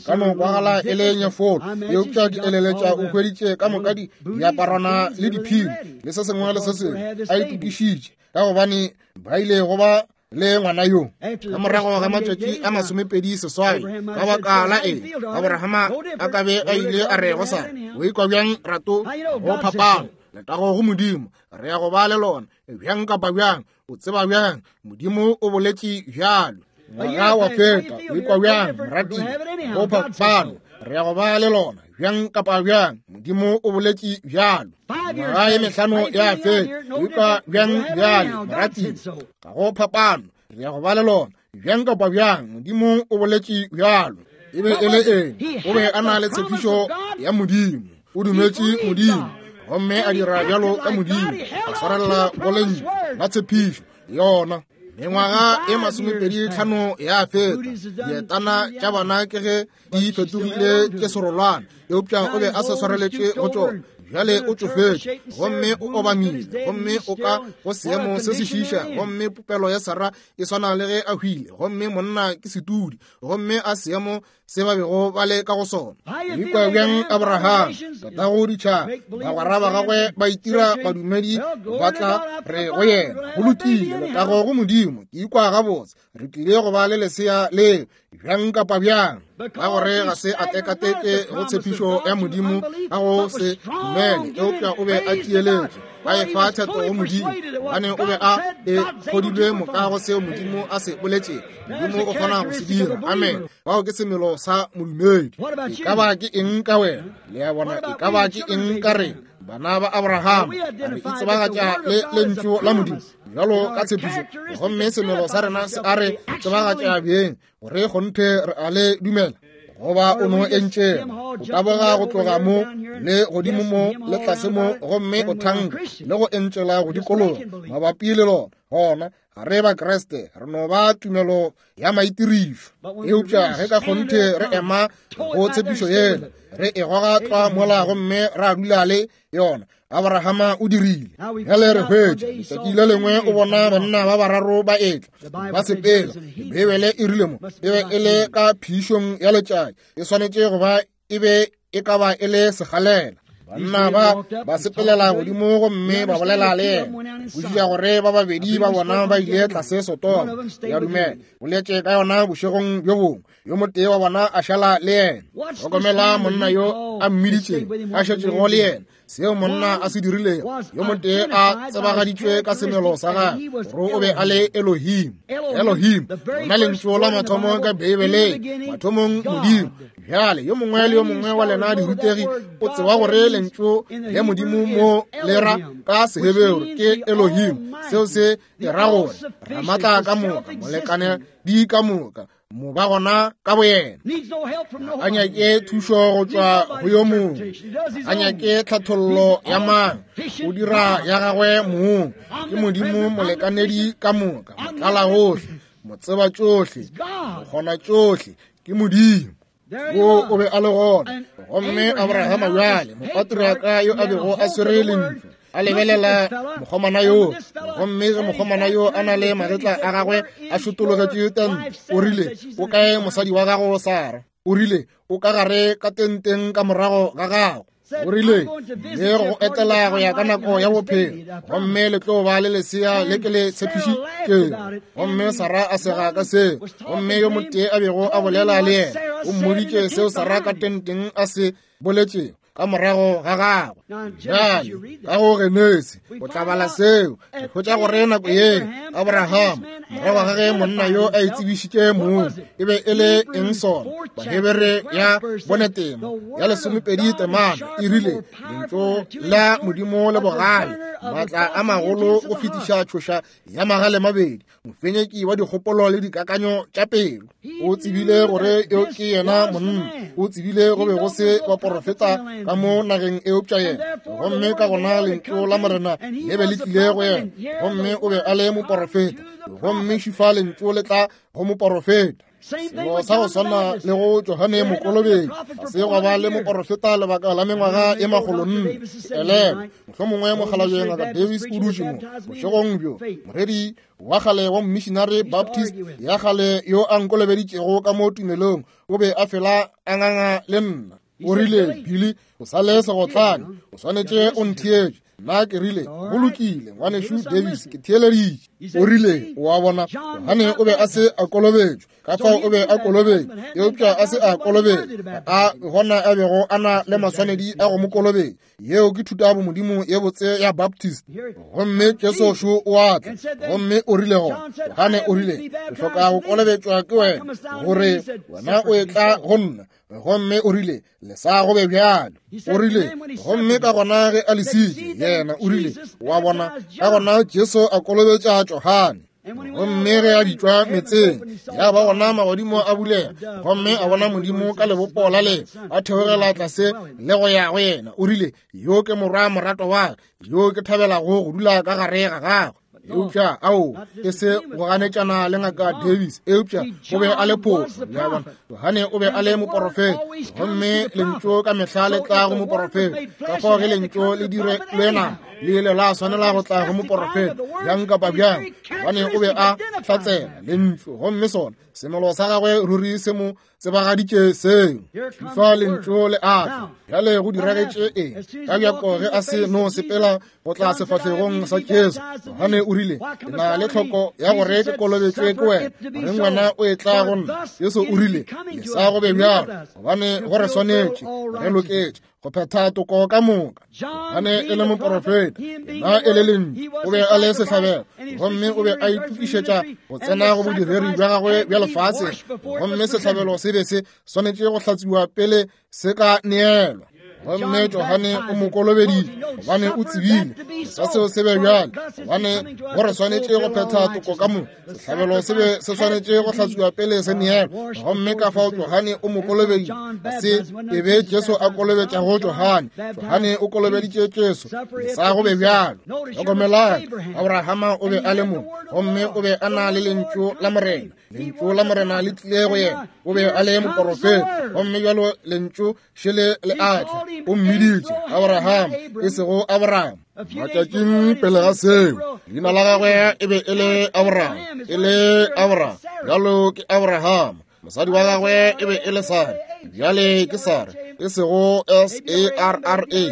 Ka no kwagala e le nyefolo, eupša ke eleletša o hweditše ka moka di diaparwana le diphiri le se sengwe le se sengwe a itokišitše, ka gobane ba ile go ba le ngwana yo. Ka morago ga matšatši a masomepedi seswai, ka baka la eng Abrahama a ka be a ile a re go Sara, o ikwa bjang rato go phapano, letago go Modimo, re ya go ba le lona bjang kapa bjang, o tseba bjang, Modimo o boletše bjalo. Ngwaga wa feta, o ikwa bjang morati go phapano, re ya go ba le lona bjang kapa bjang, Modimo o boletše bjalo. Ngwaga ye mehlano ya feta, o ikwa bjang bjale morati ga go phapano, re ya go ba le lona bjang kapa bjang, Modimo o boletše bjalo. E be e le eng? O be a na le tshepišo ya Modimo, o dumetše Modimo gomme a dira bjalo ka Modimo, a swarela go lentšu la tshepišo yona. Mengwaga e masomepedi tlhano ya feta, dietana tša bana ke ge di fetogile tše serolwana, eupša o be a sa swareletše go tšona. Bjale o tšofetše gomme o obamile, gomme o ka go seemo se se šiiša, gomme popelo ya Sara e swana le ge a hwile, gomme monna ke setudi, gomme a seemo se ba bego ba le ka go sona. O ikwa bjang Abraham, tatago ditšhaba, bagwera ba gagwe ba itira badumedi ba tla re go yena, go lokile, letago go Modimo, ke ikwa gabotse, re tlile go ba le lesea le bjang kapa bjang, ka gore ga se a tekateke go tshepišo ya Modimo ka go se dumele, eupša o be a tieletše, a efa theto go Modimo, gobane o be a e kgodilwe moka go seo Modimo a se boletšego. Modimo o kgona go se dira. Amen. Bao ke semelo sa modumedi. E ka ba ke eng ka wena? Le a bona, e ka ba ke eng ka rena? Bana ba Abraham, re itsebagatša le lentšu la Modimo bjalo ka tshepišo, gomme semelo sa rena se a re tsebagatša bjeng gore kgonthe re a le dumela, goba o no entšeng o taboga go tloga mo le godimo mo le tlase mo, gomme o thanka le go entšela go dikologa mabapi le lona. Gona ga re ba Kriste, re no ba tumelo ya maitirišo. Eupša ge ka kgonthe re ema go tshepišo yela, re e goga tlwa mola gomme ra dula le yona. Abrahama o dirile. Bjale re hwetša letšatši le lengwe o bona banna ba bararo ba etla ba sepela. Beibele e rile mo e be e le ka phišong ya letšatši, e swanetše go ba e be e ka ba e le segalela. Banna ba ba sepelela godimo gomme ba bolela le yena. Kwešiša gore ba babedi ba bona ba ile tlase Sodoma. Ya dumela, boletše ka yona bošegong bjo bongwe. Yo motee wa bona a šala le yena. Hlokomela monna yo a mmiditšeng a šetšego le yena, seo monna a se dirilego. Yo motee a tsebagaditšwe ka semelo sa gagwe gore o be a le Elohim. Elohim, lona lentšu la mathomo ka Beibeleng, mathomong Modimo. Bjale yo mongwe le yo mongwe wa lena dirutegi o tseba gore lentšu le Modimo mo le ra ka Seheberu ke Elohim, seo se dira gore Ramatla ka moka, molekane di ka moka, mo ba gona ka boyena. A nyake thušo go tšwa go yo mongwe, a nyake tlhathollo ya mang, o dira ya gagwe mong. Ke Modimo molekanedi ka moka, motlala gohle, motseba tšohle, mokgona tšohle, ke Modimo. Wo o be a le gona. Gomme Abrahama bjale, mopatriaka yo a bego a swere lentšu, a lebelela mokgomana yo, gomme ge mokgomana yo a na le magetla a gagwe a šotologetše tente, o rile, o kae mosadi wa gago Sara? O rile, o ka gare ka tenteng ka morago ga gago. O rile, le go etela go ya ka nako ya bophelo, gomme le tlo ba le lesea le ke le tshepišitšego. Gomme Sara a sega ka seo, gomme yo motee a bego a bolela le yena o mmoditše seo Sara ka tenteng a se boletšego ka morago ga gagwe. Bjale ka go Genesi o tla bala seo, re hwetša gore nako ye Abraham, morago ga ge monna yo a itsebišitše mong, e be e le eng sona? Bahebere ya bone tema ya lesomepedi temana e rile, lentšu la Modimo le bogale, maatla a magolo go fetiša tšhoša ya magale mabedi, mofenyeki wa dikgopolo le dikakanyo tša pelo. O tsebile gore yo ke yena monna, o tsebile go be go se baporofeta ka mo nageng eupša yena, gomme ka gona lentšu la Morena le be le tlile go yena, gomme o be a le moporofeta. Gomme šifa lentšu le tla go moporofeta. Selo sa go swana le go Johane Mokolobetši, ga se gwa ba le moporofeta lebaka la mengwaga e makgolonne. Elelwa, mohlomongwe mokgalabje Ngaka Davis o dutše mo bošegong bjo, moreri wa kgale wa Missionary Baptist ya kgale yo a nkolobeditšego ka mo tumelong, o be a fela a nganga le nna. O rile, Billy, o sa le segotlane, o swanetše o ntheetše. Nna ke rile, go lokile, ngwanešu Davis, ke theeleditše. O rile, o a bona, Johane o be a se a kolobetšwa, ka fao o be a kolobetšwa, eupša a se a kolobetšwa, a gona a bego a na le maswanedi a go mo kolobetša. Yeo ke thuto ya bomodimo ye botse ya Baptist. Gomme Jesu šo o a tla, gomme o rile gona, Johane o rile, ke hloka go kolobetšwa ke wena, gore wena o etla go nna. Gomme o rile, le sa go be bjalo. O rile, gomme ka gona ge a lesitše, yena o rile, wa bona, ka gona Jesu a kolobetša Johane. Gomme ge a bitšwa metseng, ya ba gona magodimo a bulega, gomme a bona Modimo ka lebopo la le a theogela tlase le go ya go yena. O rile, yo ke morwa morato wa ka, yo ke thabelago go dula ka gare ga gagwe. Eupša ao e se go ganetšana le Ngaka Davis, eupša o be a le phošo. Le a bona, Johane o be a le moporofeta, gomme lentšu ka mehla le tla go moporofeta. Ka fao ge lentšu le dire lwena, le ile la swanela go tla go moporofeta bjang kapa bjang, gobane o be a hlatsela lentšu, gomme sona semelo sa gagwe ruri se mo tsebagaditše seo. Fa lentšu le a tla. Bjale go diragetše eng? Ka bjako ge a se no sepela go tla sefahlegong sa Jesu, Johane o rile, ke na le tlhoko ya gore ke kolobetšwe ke wena, goreng wena o etla go nna? Jesu o rile, le sa go be bjalo, gobane go re swanetše, re loketše go phetha toko ka moka. Johane e le moporofeta, yena e le lentšu, o be a le sehlabelo, gomme o be a itokišetša go tsena go bodiredi bja gagwe bja lefase, gomme sehlabelo se be se swanetše go hlatsiwa pele se ka neelwa. Gomme Johane o mo kolobeditše, gobane o tsebile sa seo se be bjalo, gobane go re swanetše go phetha toko ka moka. Sehlabelo se be se swanetše go hlatsiwa pele se neelwa, gomme ka fao Johane o mo kolobeditše. Se e be Jesu a kolobetšago Johane, Johane o kolobeditše Jesu, le sa go be bjalo. Hlokomelang, Abrahama o be a le mo, gomme o be a na le lentšu la Morena. Lentšu la Morena le tlile go yena, o be a le moporofeta, gomme bjalo lentšu šele le a tla. O mmiditše Abraham, e sego Abraham. Matšatšing pele ga seo, leina la gagwe e be e le Abraham, e le Abraham, bjalo ke Abraham. Mosadi wa gagwe e be e le Sara, bjale ke Sara, e sego S A R R A,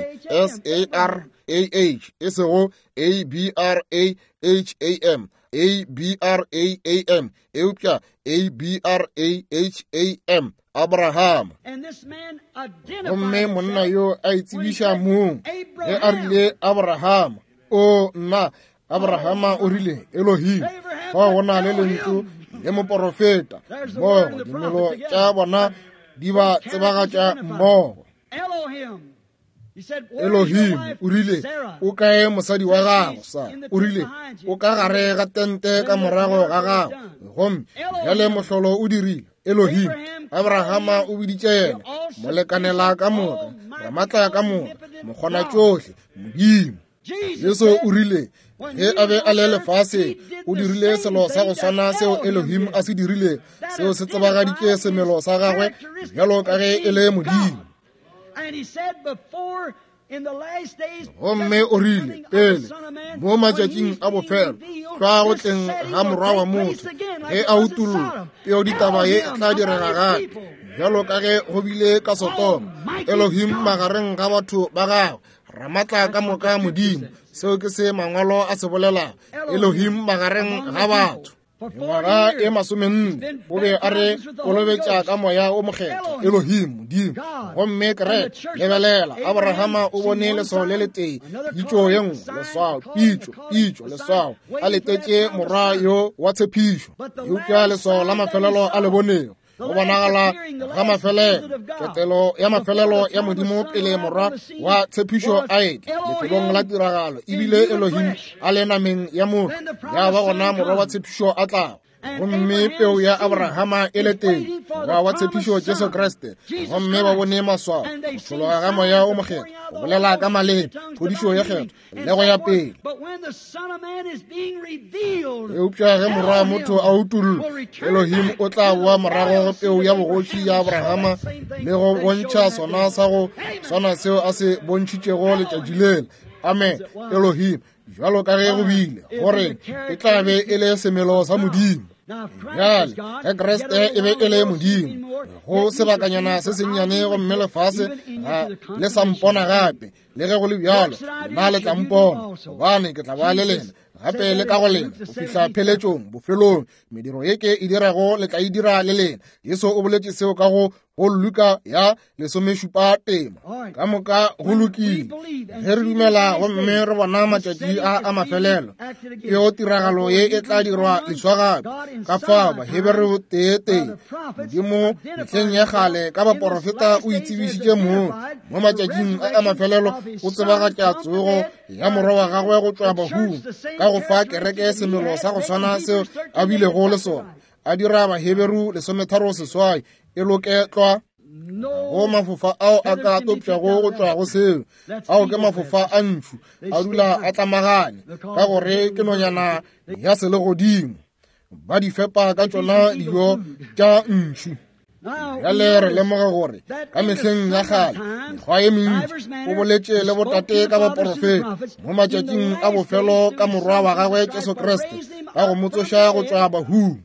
S A R A H, e sego A B R A H A M, A B R A A M, eupša A B R A H A M, Abraham. Gomme monna yo a itsebiša mong ge a rile Abraham, o nna Abrahama o rile Elohim. Fao go na le lentšu le moporofeta mmogo, dimelo tša bona di ba tsebagatša mmogo. Elohim o rile, o kae mosadi wa gago? Sa o rile, o ka gare ga tente ka morago ga gago. Gomme bjale mohlolo o dirile. Elohim, Abrahama o biditše yena molekanela ka moka, ramatla ka moka, mokgona tšohle, Modimo. Jesu o rile ge a be a le lefase, o dirile selo sa go swana seo Elohim a se dirile, seo se tsebagaditše semelo sa gagwe bjalo ka ge e le Modimo. Gomme o rile pele mo matšatšing a bofelo, tlwa go tleng ga morwa wa motho, ge a utollwa, peo ditaba ye e tla direga gape bjalo ka ge go bile ka Sodoma. Elohim magareng ga batho ba gagwe, ramatla ka moka Modimo. Seo ke se mangwalo a se bolelago, Elohim magareng ga batho. Mengwaga e masomenne o be a re kolobetša ka moya o mokgethwa, Elohim, Modimo. Gomme kereke, lebelela, Abrahama o bone leswao le letee, pitšo ye nngwe, leswao, pitšo, pitšo, leswao, a letetše morwa yo wa tshepišo. Eupša leswao la mafelelo a le bonego, go bonagala ga mafelelo, ketelo ya mafelelo ya Modimo pele morwa wa tshepišo a etla lefelong la tiragalo, ebile Elohim a le nameng ya motho, ya ba gona morwa wa tshepišo a tlago. Gomme peu ya Abrahama e le teng, morwa wa tshepišo Jesu Kriste, gomme ba bone maswao, go tšhologa ga Moya o Mokgethwa, go bolela ka maleme, phodišo ye kgethwa, le go ya pele. Eupša ge morwa wa motho a utollwa, Elohim o tla boa morago go peu ya bogoši ya Abrahama le go bontšha sona sa go swana seo a se bontšhitšego letšatši lela. Amen. Elohim, bjalo ka ge go bile, gore e tla be e le semelo sa Modimo. Bjale, ge Kriste e be e le Modimo, go sebakanyana se sennyane gomme lefase ga le sa mpona gape, le ge go le bjalo, nna le tla mpona, gobane ke tla ba le lena gape le ka go lena go fihla pheletšong, bofelong. Mediro ye ke e dirago le tla e dira le lena. Jesu o boletše seo ka go go Luka ya lesomešupa tema. Ka moka go lokile. Ge re dumela gomme re bona matšatši a a mafelelo, peo tiragalo ye e tla dirwa leswa gape. Ka fao Baheberu tee tee, Modimo mehleng ya kgale ka baporofeta o itsebišitše mong, mo matšatšing a a mafelelo o tsebagatša tsogo ya morwa wa gagwe go tšwa bahung, ka go fa kereke semelo sa go swana seo a bilego le sona. A dira Baheberu lesometharo seswai e loke tlwa. Go mafofa ao a ka topšago go tšwa go seo, ao ke mafofa a ntšhu, a dula a tlamagane, ka gore ke nonyana ya selegodimo. Ba di fepa ka tšona dijo tša ntšhu. Bjale re lemoga gore ka mehleng ya kgale mekgwa ye mentši o boletše le botate ka baporofeta, mo matšatšing a bofelo ka morwa wa gagwe Jesu Kriste, ka go mo tsoša go tšwa bahung.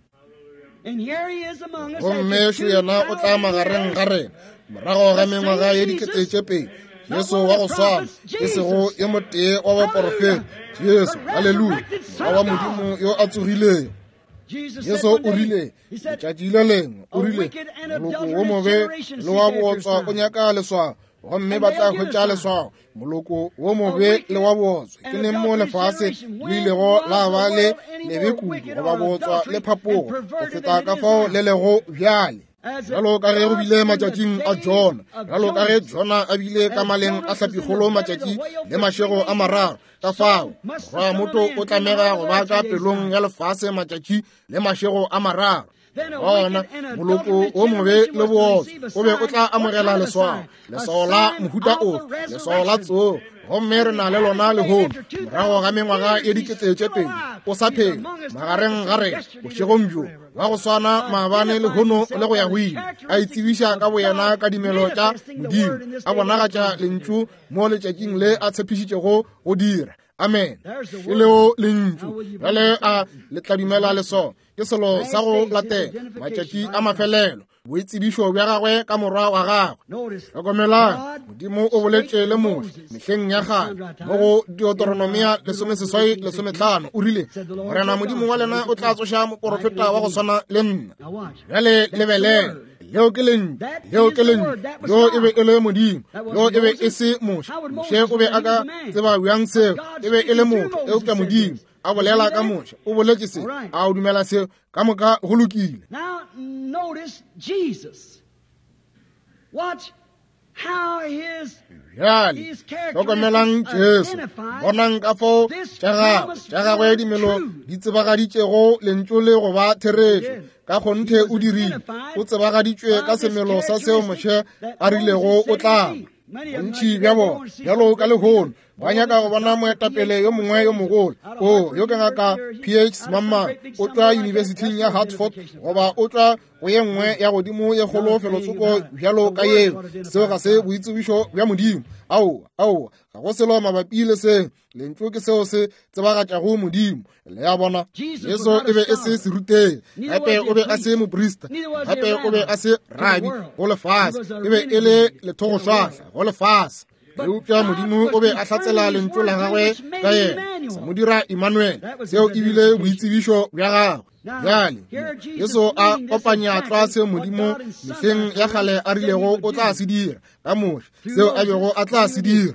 Gomme šo yena o tla magareng ga rena morago ga mengwaga ye dikete tše pedi, Jesu wa go swana, e sego yo motee wa baporofeta, Jesu, haleluya, morwa wa Modimo yo a tsogilego. Jesu o rile letšatši le lengwe, o rile moloko wo mobe le wa bootswa o nyaka leswao, gomme ba tla hwetša leswao. Moloko wo mobe le wa bootswa ke neng mo lefase le ilego la ba le lebe kudu goba bootswa le phapogo go feta ka fao le lego bjale. Bjalo ka ge go bile matšatšing a Jona, bjalo ka ge Jona a bile ka maleng a hlapikgolo matšatši le mašego a mararo, ka fao morwa motho o tlamega go ba ka pelong ya lefase matšatši le mašego a mararo. Gona moloko o mobe le bootswa o be o tla amogela leswao, leswao la mohuta ofe, leswao la tsogo, gomme re na le lona lehono morago ga mengwaga ye dikete tše pedi. O sa phela magareng ga rena bošegong bjo, wa go swana maabane lehono le go ya go ile, a itsebiša ka boyena ka dimelo tša Modimo, a bonagatša lentšu mo letšatšing le a tshepišitšego go dira. Amen. E leo lentšu. Bjale a le tla dumela leswao? Ke selo sa go latela matšatši a mafelelo, boitsebišo bja gagwe ka morwa wa gagwe. Hlokomelang, Modimo o boletše le Moshe mehleng ya kgale mo go Deuteronomia lesomeseswai lesometlhano, o rile, Morena Modimo wa lena o tla tsoša moporofeta wa go swana le nna. Bjale lebelela, leo ke lentšu, leo ke lentšu. Yo e be e le Modimo, yo e be e se Moshe. Moshe o be a ka tseba bjang seo? E be e le motho, eupša Modimo a bolela ka Moshe, o boletše se. A o dumela seo? Ka moka go lokile. Now notice Jesus. Watch how his Bjale hlokomelang Jesu, bonang ka fao tša gagwe tša gagwe dimelo di tsebagaditšego lentšu le go ba therešo. Ka kgonthe o dirile, o tsebagaditšwe ka semelo sa seo Moshe a rilego o tla ba. Bontši bja bona bjalo ka lehono ba nyaka go bona moetapele yo mongwe yo mogolo. O yo ke ngaka P H Mamang, o tšwa yunibesithing ya Hartford, goba o tšwa go ye nngwe ya godimo ye kgolo felotsoko bjalo ka yeo. Seo ga se boitsebišo bja Modimo. Aowa, aowa, ga go selo mabapi le seo. Lentšu ke seo se tsebagatšago Modimo. Le a bona, Jesu e be e se serutegi, gape o be a se moprista, gape o be a se rabi go lefase, e be e le lethogošwahla go lefase. Eupša Modimo o be a hlatsela lentšu la gagwe ka yena, sa mo dira Emmanuel. Seo e bile boitsebišo bja gagwe. Bjale Jesu a kopanya tlwa seo Modimo mehleng ya kgale a rilego o tla se dira ka Moshe, seo a bego a tla se dira.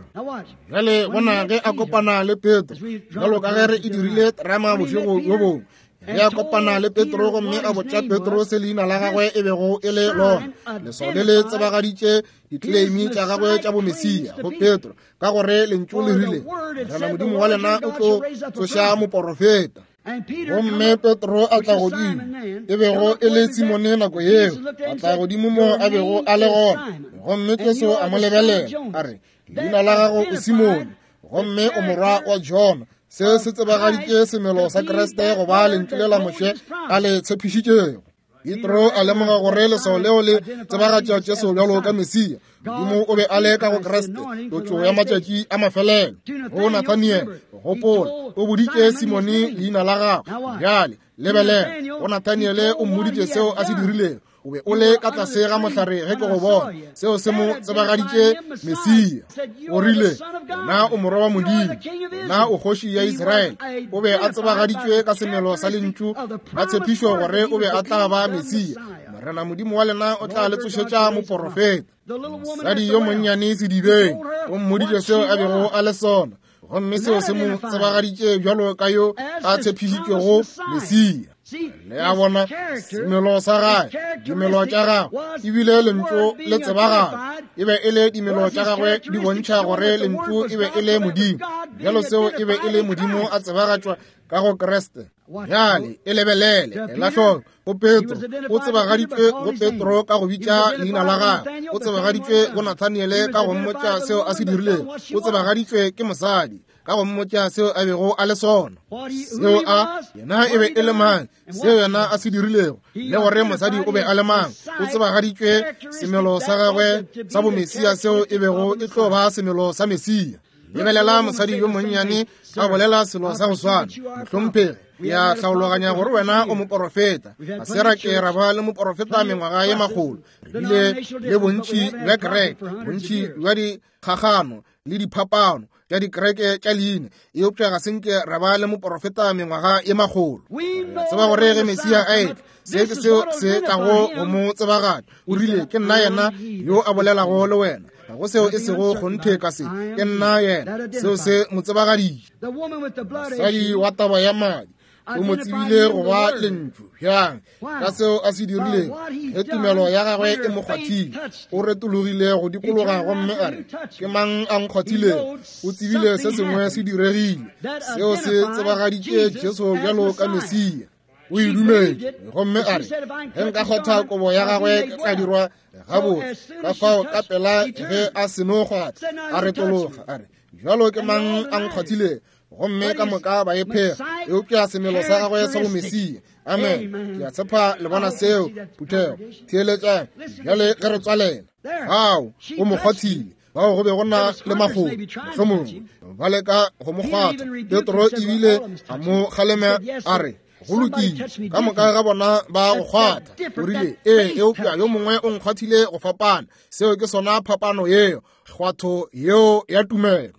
Bjale bona ge a kopana le Petro, bjalo ka ge re e dirile terama bošego bjo bongwe, ge a kopana le Petro gomme a botša Petro se leina la gagwe e bego e le lona, leswao le le tsebagaditše ditleimi tša gagwe tša bomesia go Petro, ka gore lentšu le rile, Morena Modimo wa lena o tlo tsoša moporofeta. Gomme Petro a tla godimo, e bego e le Simone nako yeo, a tla godimo mo a bego a le gona. Gomme Jesu a mo lebelela, a re, leina la gago o Simone, gomme o morwa wa Jona. Se se tsebagaditše semelo sa Kriste go ba lentšu le la Moshe a le tshepišitšego. Petro a lemoga gore leswao leo le tsebagatša Jesu bjalo ka Mesia. Modimo o be a le ka go Kriste, tlotšo ya matšatši a mafelelo. Go Nathaniel, gopola, o boditše Simone leina la gagwe. Bjale, lebelela, go Nathaniele o mmoditše seo a se dirilego. O be o le ka tlase ga mohlare ge ke go bona. Seo se mo tsebagaditše Mesia. O rile, na o morwa wa Modimo, na o kgoši ya Israele. O be a tsebagaditšwe ka semelo sa lentšu la tshepišo gore o be a tla ba Mesia. Morena Modimo wa lena o tla le tsošetša moporofeta. Mosadi yo monnyane sedibeng o mmoditše seo a bego a le sona, gomme seo se mo tsebagaditše bjalo ka yo a tshepišitšwego Mesia. Le a bona semelo sa gagwe, dimelo tša gagwe, ebile lentšu le tsebagala. E be e le dimelo tša gagwe di bontšha gore lentšu e be e le Modimo. Bjalo seo e be e le Modimo a tsebagatšwa ka go Kriste. Bjale e lebelele, ela hloko, go Petro, o tsebagaditšwe go Petro ka go bitša leina la gagwe. O tsebagaditšwe go Nathaniele ka go mmotša seo a se dirilego. O tsebagaditšwe ke mosadi ka go mmotša seo a bego a le sona, seo a yena e be e le mang, seo yena a se dirilego, le gore mosadi o be a le mang. O tsebagaditšwe semelo sa gagwe sa bomesia seo e bego e tlo ba semelo sa Mesia. Lebelela mosadi yo monnyane a bolela selo sa go swana. Mohlomphegi, ke a hlaologanya gore wena o moporofeta. Ga se ra ke ra ba le moporofeta mengwaga ye makgolo. Re bile le bontši bja kereke, bontši bja dikgagano le diphapano tša dikereke tša leina, eupša ga se nke ra ba le moporofeta mengwaga ye makgolo. Re tseba gore ge Mesia a etla, se ke seo se tlago go mo tsebagatša. O rile, ke nna yena yo a bolelago le wena. Ga go seo e sego kgonthe ka se, ke nna yena. Seo se mo tsebagaditše. Mosadi wa taba ya madi o mo tsebile go ba lentšu. Bjang? Ka seo a se dirilego, ge tumelo ya gagwe e mo kgwathile, o retologile go dikologa gomme a re, ke mang a nkgwathilego? O tsebile se sengwe se diregile. Seo se tsebagaditše Jesu bjalo ka Mesia. O e dumetše, gomme a re, ge nka kgwatha kobo ya gagwe ke tla dirwa gabotse. Ka fao ka pela ge a seno kgwatha, a retologa a re, bjalo ke mang a nkgwathilego? Gomme ka moka ba e phega, eupša semelo sa gagwe sa bomesia. Amen. Ke a tshepa le bona seo, phuthego. Theeletšang bjale ge re tswalela. Fao o mo kgwathile. Bao go be go na le makgolo, mohlomongwe ba leka go mo kgwatha. Petro ebile a mo kgalema a re, go lokile, ka moka ga bona ba go kgwatha. O rile, ee, eupša yo mongwe o nkgwathile go fapana. Seo ke sona phapano yeo, kgwatho yeo ya tumelo.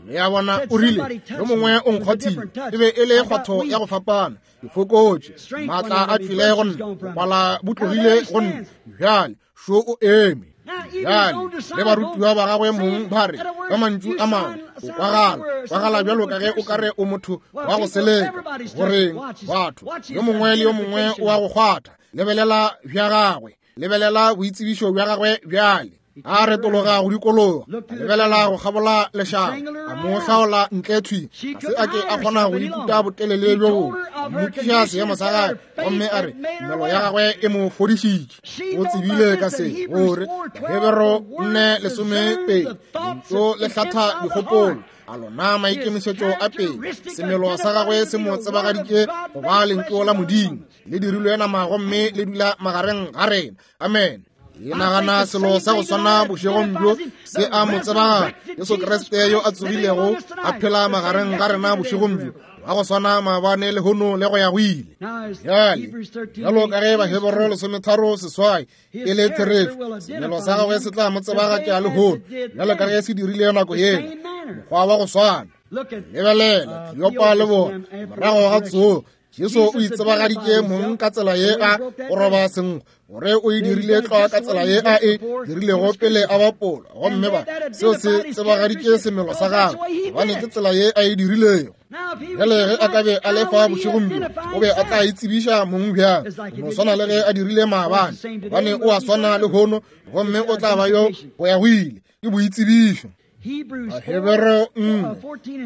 Le a bona, o rile, yo mongwe o nkgwathile, e be e le kgwatho ya go fapana. Ke fokotše, maatla a tšwile go nna, bopala bo tlogile go nna. Bjale šo o eme. Bjale le barutiwa ba gagwe mong ba re, ka mantšu a mangwe, o kwagala, kwagala bjalo ka ge o ka re o motho wa go seleka. Goreng batho, yo mongwe le yo mongwe o a go kgwatha. Lebelela bja gagwe, lebelela boitsebišo bja gagwe bjale. A retologa go dikologa, a lebelela go kgabola lešaba, a mo hlaola ntle thwi. Ga se a ke a kgona go ikuta botelele bjo bongwe. A mmotšiša seemo sa gagwe, gomme a re tumelo ya gagwe e mo fodišitše. O tsebile ka se gore Bahebero nne lesomepedi, lentšu le hlatha dikgopolo, a lona maikemišetšo a pele. Semelo sa gagwe se mo tsebagaditše go ba lentšu la Modimo, le dirilwe nama gomme le dula magareng ga rena. Amen. Ke nagana selo sa go swana bošegong bjo se a mo tsebagatša, Jesu Kriste yo a tsogilego a phela magareng ga rena bošegong bjo, wa go swana maabane lehono le go ya go ile. Bjale bjalo ka ge Bahebero lesometharo seswai e le therešo, semelo sa gagwe se tla mo tsebagatša lehono bjalo ka ge se dirile nako yela, mokgwa wa go swana. Lebelela Kleopa le bona morago ga tsogo, Jesu o itsebagaditše mong ka tsela ye a go roba senkgwa, gore o e dirile tlwa ka tsela ye a e dirilego pele a bapola. Gomme ba seo se tsebagaditše semelo sa gagwe, gobane ke tsela ye a e dirilego. Bjale ge a ka be a le fa bošegong bjo, o be a tla itsebiša mong bjang? No swana le ge a dirile maabane, gobane o a swana lehono, gomme o tla ba yo go ya go ile. Ke boitsebišo. Bahebero nne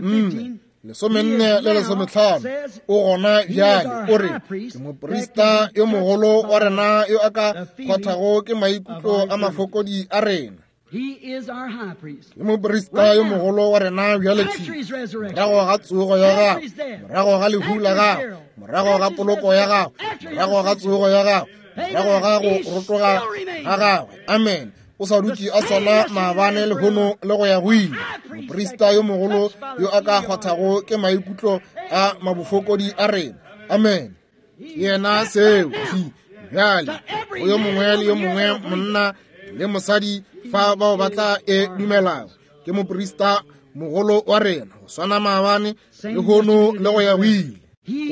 nne Lesomenne le lesometlhano o gona bjale o re ke moprista yo mogolo wa rena yo a ka kgwathago ke maikutlo a mafokodi a rena. Ke moprista yo mogolo wa rena bjale thwi morago ga tsogo ya gagwe, morago ga lehu la gagwe, morago ga poloko ya gagwe, morago ga tsogo ya gagwe, morago ga go rotoga ga gagwe. Amen. O sa dutše a swana maabane lehono le go ya go ile. Moprista yo mogolo yo a ka kgwathago ke maikutlo a mabofokodi a rena. Amen. Yena seo thwi bjale go yo mongwe le yo mongwe monna le mosadi fa bao ba tla e dumelago. Ke moprista mogolo wa rena go swana maabane lehono le go ya go ile.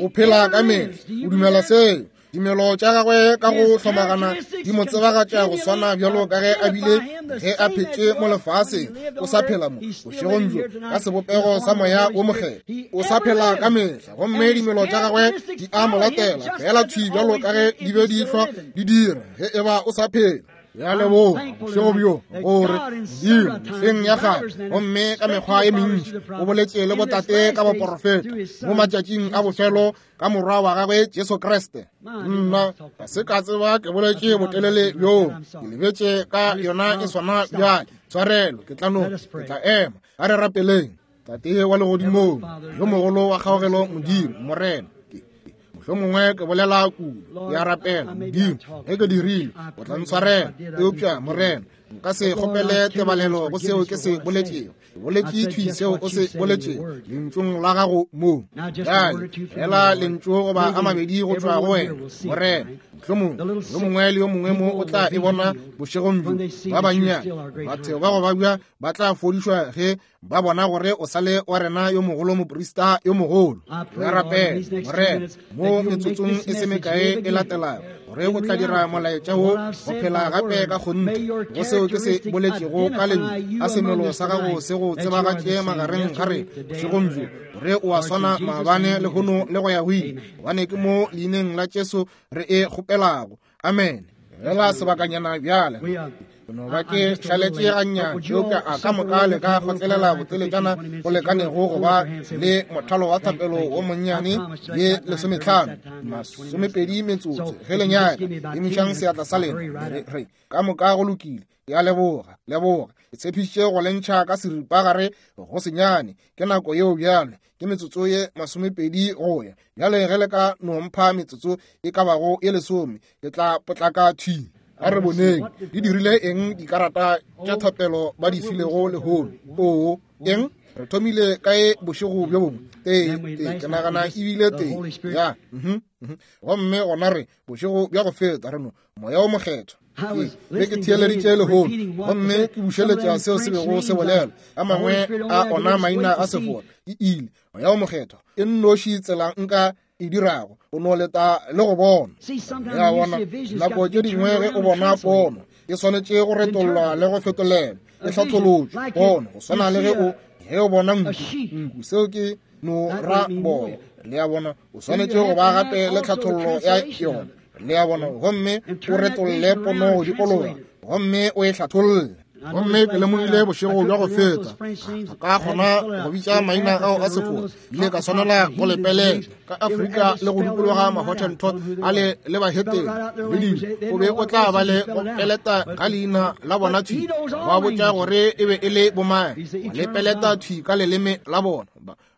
O phela ka mehla, o dumela seo. Dimelo tša gagwe ka go hlomagana di mo tsebagatša go swana bjalo ka ge a bile ge a phetše mo lefaseng. O sa phela mo bošegong bjo ka sebopego sa moya wo mokgethwa. O sa phela ka mehla, gomme dimelo tša gagwe di a mo latela fela thwi bjalo ka ge di be di hlwa di dira ge e ba o sa phela. Ya leboga bošego bjo gore Modimo mehleng ya kgale gomme ka mekgwa e mentši o boletše le botate ka baporofeta mo matšatšing a bofelo ka morwa wa gagwe Jesu Kriste. Nna ga se ka tseba ke boletše botelele bjo, ke lebetše ka yona e swana bjale. Tshwarelo, ke tla no ke tla ema. A re rapeleng. Tate wa legodimong yo mogolo wa kgaogelo, Modimo Morena, mohlomongwe ke bolela kudu, ke a rapela Modimo ge ke dirile o tla ntshwarela, eupša Morena nka se kgopele tebalelo go seo ke se boletšego. Ke boletše thwi seo o se boletšego lentšung la gago mo. Bjale fela lentšu goba a mabedi go tšwa go wena Morena. Mohlomongwe yo mongwe le yo mongwe mo o tla e bona bošegong bjo. Ba bannyane batho ba go babja ba tla fodišwa ge ba bona gore o sale wa rena yo mogolo moprista yo mogolo. Re rapela Morena mo metsotsong e se mekae e latelago gore o tla dira molaetša wo go phela gape ka kgonthe go seo ke se boletšego ka lentšu, a semelo sa gago se go tsebagatše magareng ga rena bošegong bjo, gore o a swana maabane lehono le go ya go ile, gobane ke mo leineng la Jesu re e kgopelago. Amen. Fela sebakanyana bjale no ba ke šaletše gannyane, eupša a ka moka le ka kgotlelela boteletšana go lekanego go ba le mothalo wa thapelo wo monnyane ye lesometlhano masomepedi metsotso ge le nyaka. Emišang seatla sa lena. Re ka moka go lokile. Ke a leboga, leboga. Ke tshepišitše go le ntšha ka seripagare go senyane. Ke nako yeo bjale, ke metsotso ye masomepedi go ya. Bjale ge le ka no mpha metsotso e ka bago ye lesome, ke tla potlaka thwi. A re boneng di dirile eng dikarata tša thapelo ba di filego lehono. Oo, eng? Re thomile kae bošego bjo bongwe? Tee, tee, ke nagana ebile tee. Ya, mhm, gomme gona re bošego bja go feta re no moya o mokgethwa. Be ke theeleditše lehono gomme ke bušeletša seo se bego se bolela. A mangwe a ona maina a sefora ke ile. Moya o mokgethwa e nnoši tsela nka e dirago o no leta le go bona. Ya bona nako tše dingwe ge o bona pono e swanetše go retollwa le go fetolelwa, e hlatholotšwe pono go swana le ge o ge o bona nku nku seo ke no ra boya. Le a bona o swanetše go ba gape le tlhathollo ya yona. Le a bona gomme o retolle pono go dikologa gomme o e hlatholle. Gomme ke lemogile bošego bja go feta ka kgona go bitša maina ao a sefora, ile ka swanela go lepelela ka Afrika le go dikologa Mahottentot a le le bahetene le dilo. O be o tla ba le go peleta ka leina la bona thwi, ba botša gore e be e le bomang, ba le peleta thwi ka leleme la bona.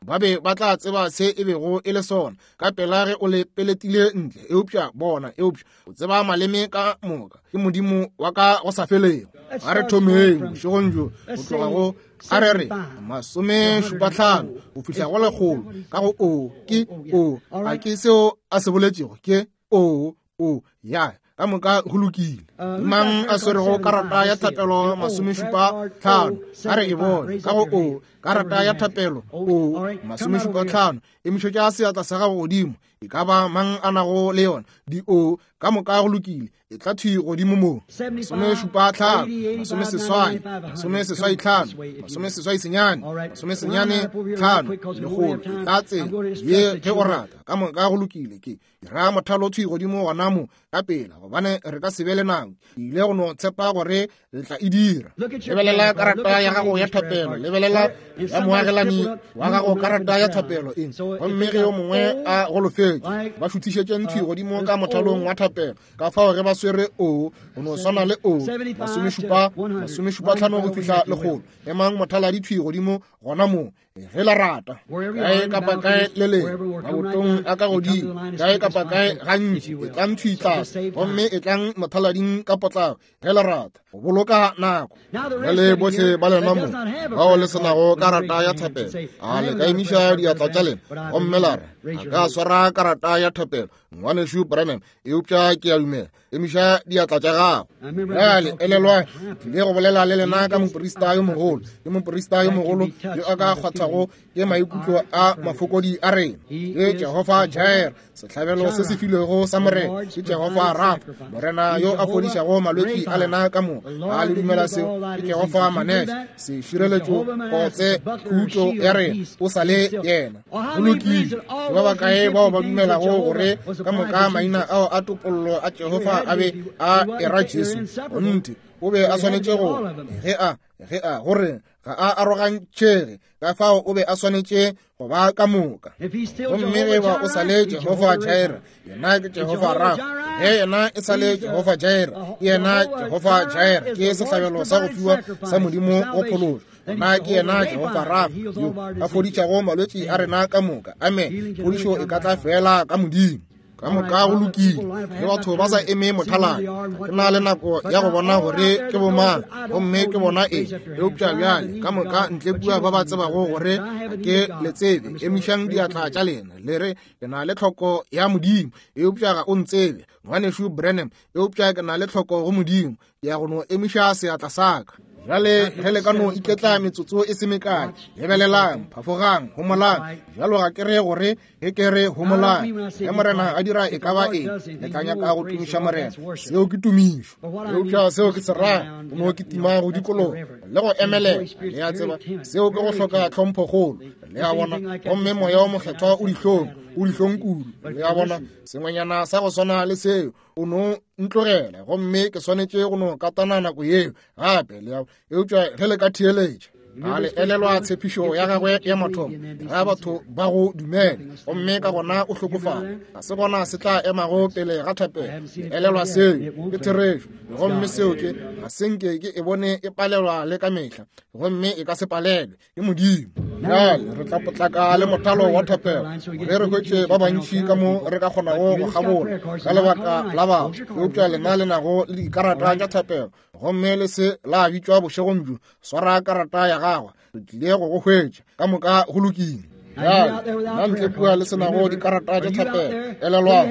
Ba be ba tla tseba se e bego e le sona ka pela ge o le peletile ntle. Eupša bona, eupša o tseba maleme ka moka, ke Modimo wa ka go sa felego. A re thomeng bošegong bjo go tloga go a re re masomešupatlhano go fihla go lekgolo ka go o ke o a ke seo a se boletšego ke o o ya ka moka go lokile. Mang a swerego karata ya thapelo masomešupa tlhano a re e bone ka go o karata ya thapelo o masomešupa tlhano emišetša seatla sa gago godimo. E ka ba mang a nago le yona di o ka moka go lokile, e tla thwi godimo mo. Masomešupa tlhano, masomeseswai, masomeseswai tlhano, masomeseswai senyane, masomesenyane tlhano, lekgolo, e tla tsela ye ge o rata. Ka moka go lokile. Ke dira mothalo thwi godimo gona mo ka pela, gobane re ka se be le nako. Ke ile go no tshepa gore re tla e dira. Lebelela karata ya gago ya thapelo, lebelela Ya moagelani wa gago karata ya thapelo eng, gomme ge yo mongwe a golofetše, ba šuthišetše ntšhi godimo ka mothalong wa thapelo. Ka fao ge ba swere o, go no swana le o, masomešupa, masomešupa tlhano go fihla lekgolo. Emang mothaladi thwi godimo gona moo, ge la rata. Kae kapa kae le leng, mabotong a ka godimo, kae kapa kae gantši, e tlang thwi tlase, gomme e tlang mothalading ka potlako, ge la rata, go boloka nako. Bjale bohle ba lena mo bao le senago karata ya thapelo, a le ka emiša diatla tša lena gomme la re, a ka swara karata ya thapelo, ngwanešu Branham, eupša ke a dumela. Emiša diatla tša gago. Bjale elelwang, tlile go bolela le lena ka moprista yo mogolo, ke moprista yo mogolo yo a ka kgwathago ke maikutlo a mafokodi a rena. Ke Jehofa Jireh, sehlabelo se se filwego sa Morena. Ke Jehofa Rafa, Morena yo a fodišago malwetši a lena ka moka. A le dumela seo? Ke Jehofa Manese, sešireletšo, kotse, khutšo ya rena. O sa le yena. Go lokile. Ke ba bakae bao ba dumelago gore ka moka maina ao a topollo a Jehofa a be a era Jesu? Gonte o be a swanetše go ge a ge a gore ga a arogantšhege, ka fao o be a swanetše go ba ka moka. Gomme ge ba o sa le Jehofa Jireh, yena ke Jehofa Rafa. Ge yena e sa le Jehofa Jireh, ke yena Jehofa Jireh, ke sehlabelo sa go fiwa sa Modimo go phološo. Nna ke yena Jehofa Rafa, yo a fodišago malwetši a rena ka moka. Amen. Phodišo e ka tla fela ka Modimo. Ka moka go lokile. Ge batho ba sa eme mothaladi, ke na le nako ya go bona gore ke bomang, gomme ke bona eng. Eupša bjale ka moka ntle kua ba ba tsebago gore ga ke le tsebe, emišang diatla tša lena le re, ke na le tlhoko ya Modimo, eupša ga o ntsebe, ngwanešu Branham, eupša ke na le tlhoko go Modimo, ke ya go no emiša seatla sa ka. Bjale ge le ka no iketla metsotso e se mekae, lebelelang, phafogang, homolang. Bjalo ga ke re gore ge ke re homolang, ge Morena a dira e ka ba eng, le tla nyaka go tumiša Morena. Seo ke tumišo. Eupša seo ke se ra, go no kitima go dikologa le go emelela. Le a tseba, seo ke go hloka tlhomphokgolo. Le a bona, gomme moya o mokgethwa o dihlong, o dihlong kudu. Le a bona, sengwenyana sa go swana le seo, o no ntlogela, gomme ke swanetše go no katana nako yeo gape. Le a, eupša ge le ka theeletša, a le elelwa tshepišo ya gagwe ya mathomo, ga batho ba go dumela, gomme ka gona o hlokofala, ga se gona se tla emago pele ga thapelo. Le elelwa seo, ke therešo. Gomme seo ke, ga se nke ke e bone e palelwa le ka mehla, gomme e ka se palelwe ke Modimo. Bjale re tla potlaka le mothalo wa thapelo gore re hwetše ba bantši ka mo re ka kgonago go kgabola ka lebaka la batho. Eupša lena le nago le dikarata tša thapelo, gomme le se la bitšwa bošegong bjo, swara karata ya gagwe, re tlile go go hwetša. Ka moka go lokile. Bjale nna ntle kua le senago dikarata tša thapelo, elelwang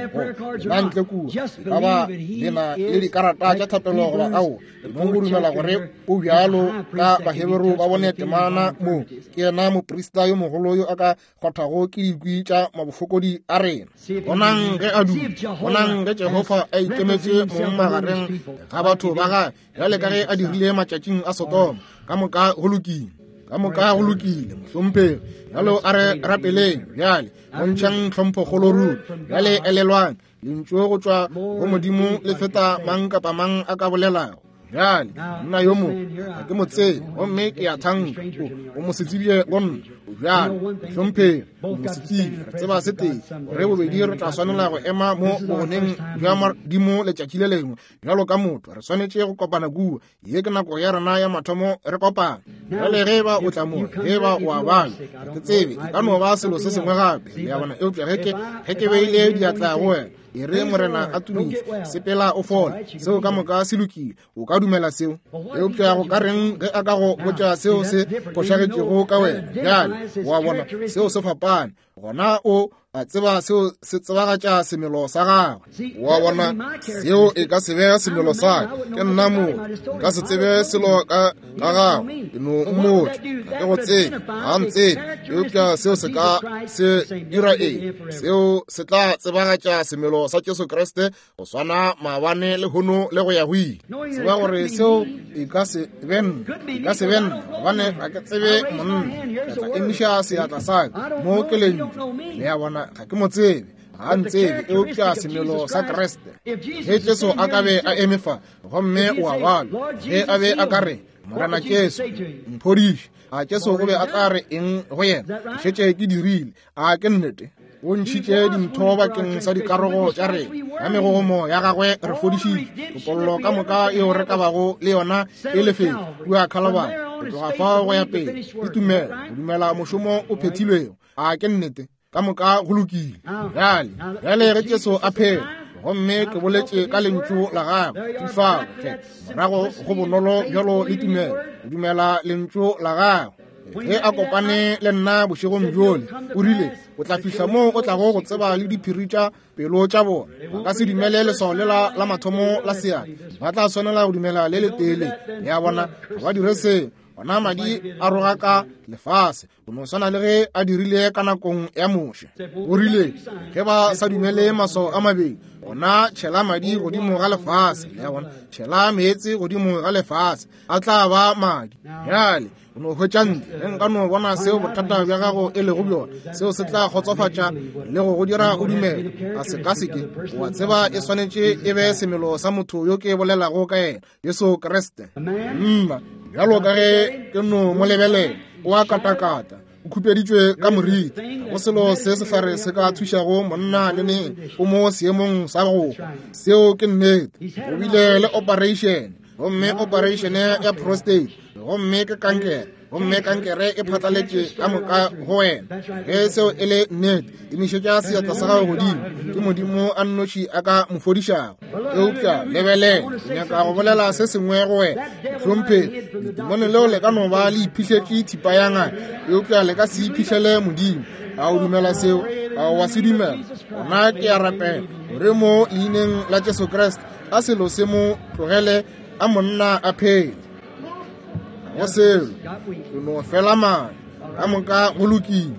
nna ntle kua e ka ba le na le dikarata tša thapelo goba ao, mong go dumela gore o bjalo ka Baheberu ba bone temana mo, ke yena moprista yo mogolo yo a ka kgwathago ke dikwi tša mabofokodi a rena. Bonang ge a dula, bonang ge Jehofa a ikemetše mong magareng ga batho ba gagwe, bjale ka ge a dirile matšatšing a Sodoma. Ka moka go lokile. Ka moka go lokile, mohlomphegi. Bjalo a re rapeleng bjale, bontšhang tlhomphokgolo ruri. Bjale elelwang, lentšu go tšwa go Modimo le feta mang kapa mang a ka bolelago. Bjale nna yo mo ga ke mo tsebe, gomme ke a thanka o mo se tsebile go nna. Bjale mohlomphegi, o mo se tsebe. Re tseba se tee, gore bobedi re tla swanela go ema mo bogoneng bja Modimo letšatši le lengwe. Bjalo ka motho re swanetše go kopana kua. Ye ke nako ya rena ya mathomo re kopana. Bjale ge ba o tla mo, ge ba o a bala, ga ke tsebe, e ka no ba selo se sengwe gape. Le a bona, eupša ge ke ge ke beile diatla go wena, e re Morena a tumiše, sepela o fole. Seo ka moka se lokile, o ka dumela seo. Eupša go ka reng ge a ka go botša seo se fošagetšego ka wena? Bjale wa bona, seo se fapane. Gona o a tseba seo se tsebagatša semelo sa gagwe. Wa bona, seo e ka se be semelo sa ka. Ke nna motho, nka se tsebe selo ka ka gagwe. Ke no mmotša, ga ke go tsebe, ga ntsebe. Eupša seo se ka se dira eng? Seo se tla tsebagatša semelo sa Jesu Kriste go swana maabane le hono le go ya go ile. Tseba gore seo e ka se be nna, e ka se be nna, gobane ga ke tsebe monna. Ke tla emiša seatla sa ka mo ke lentšu. Le a bona, ga ke mo tsebe, ga ntsebe, eupša semelo sa Kriste. Ge Jesu a ka be a eme fa, gomme o a balwa, ge a be a ka re, Morena Jesu, mphodiše. A Jesu o be a tla re eng go yena? Ke šetše ke dirile. A ke nnete? O ntšhitše dintho bakeng sa dikarogo tša rena. Ka megogomo ya gagwe re fodišitše. Topollo ka moka yeo re ka bago le yona e lefetše kua Calvary. Go tloga fao go ya pele ke tumelo, go dumela mošomo o phethilwego. A ke nnete? Ka moka go lokile. Bjale, bjale ge Jesu a phela, gomme ke boletše ka lentšu la gagwe, ke fao hle morago go bonolo bjalo le tumelo, go dumela lentšu la gagwe. Ge a kopane le nna bošegong bjole, o rile o tla fihla moo o tlago go tseba le diphiri tša pelo tša bona. Ba ka se dumele leswao lela la mathomo la seatla, ba tla swanela go dumela le letee le. Le a bona, ga ba dire seo. Ona madi a rogaka lefase, go no swana le ge a dirile ka nakong ya Moshe. O rile ge ba sa dumele maswao a mabedi, ona tšhela madi godimo ga lefase. Le a bona, tšhela meetse godimo ga lefase, a tla ba madi. Bjale o no hwetša ntle. Ge nka no bona seo bothata bja gago e lego bjona, seo se tla kgotsofatša le go go dira o dumele. A se ka seke wa tseba e swanetše e be semelo sa motho yo ke bolelago ka yena, Jesu Kriste. Mma, bjalo ka ge ke no mo lebelela, o a katakata, o khupeditšwe ka moriti. Go selo se sehlare se ka thušago monna le neng, o mo seemong sa go hwa. Seo ke nnete. O bile le operation, gomme operation ya prostate, gomme ke kankere, gomme kankere e phatlaletše ka moka go wena. Ge seo e le nnete, emišetša seatla sa gago godimo. Ke Modimo a nnoši a ka mo fodišago. Eupša lebelela, ke nyaka go bolela se sengwe go wena. Hlomphegi, letimone leo le ka no ba le iphihletše thipa ya ngaka, eupša le ka se iphihlele Modimo. A o dumela seo? A o a se dumela? Gona ke a rapela gore mo leineng la Jesu Kriste a selo se mo tlogele, a monna a phele. Go selo, ke no fela madi. Ka moka go lokile.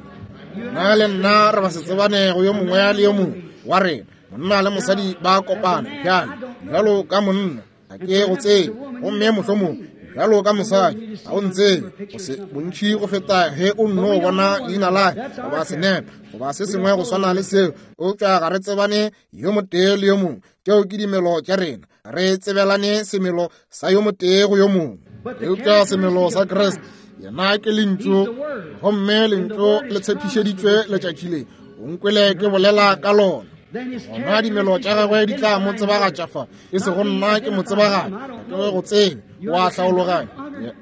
Nna le nna re ba se tsebane go yo mongwe le yo mongwe wa rena. Monna le mosadi ba kopana bjale, bjalo ka monna ga ke go tsebe, gomme mohlomongwe bjalo ka mosadi ga o ntsebe go se bontši go feta ge o nno bona leina la goba senepe goba se sengwe go swana le seo. Eupša ga re tsebane yo motee le yo mongwe. Tšeo ke dimelo tša rena. Re tsebelane semelo sa yo motee go yo mongwe. Eupša semelo sa Kriste, yena ke lentšu, gomme lentšu le tshepišeditšwe letšatši le. O nkwele ke bolela ka lona. Gona dimelo tša gagwe di tla mo tsebagatša fa, e sego nna ke mo tsebagatša, ke go tsebe, o a hlaologanya.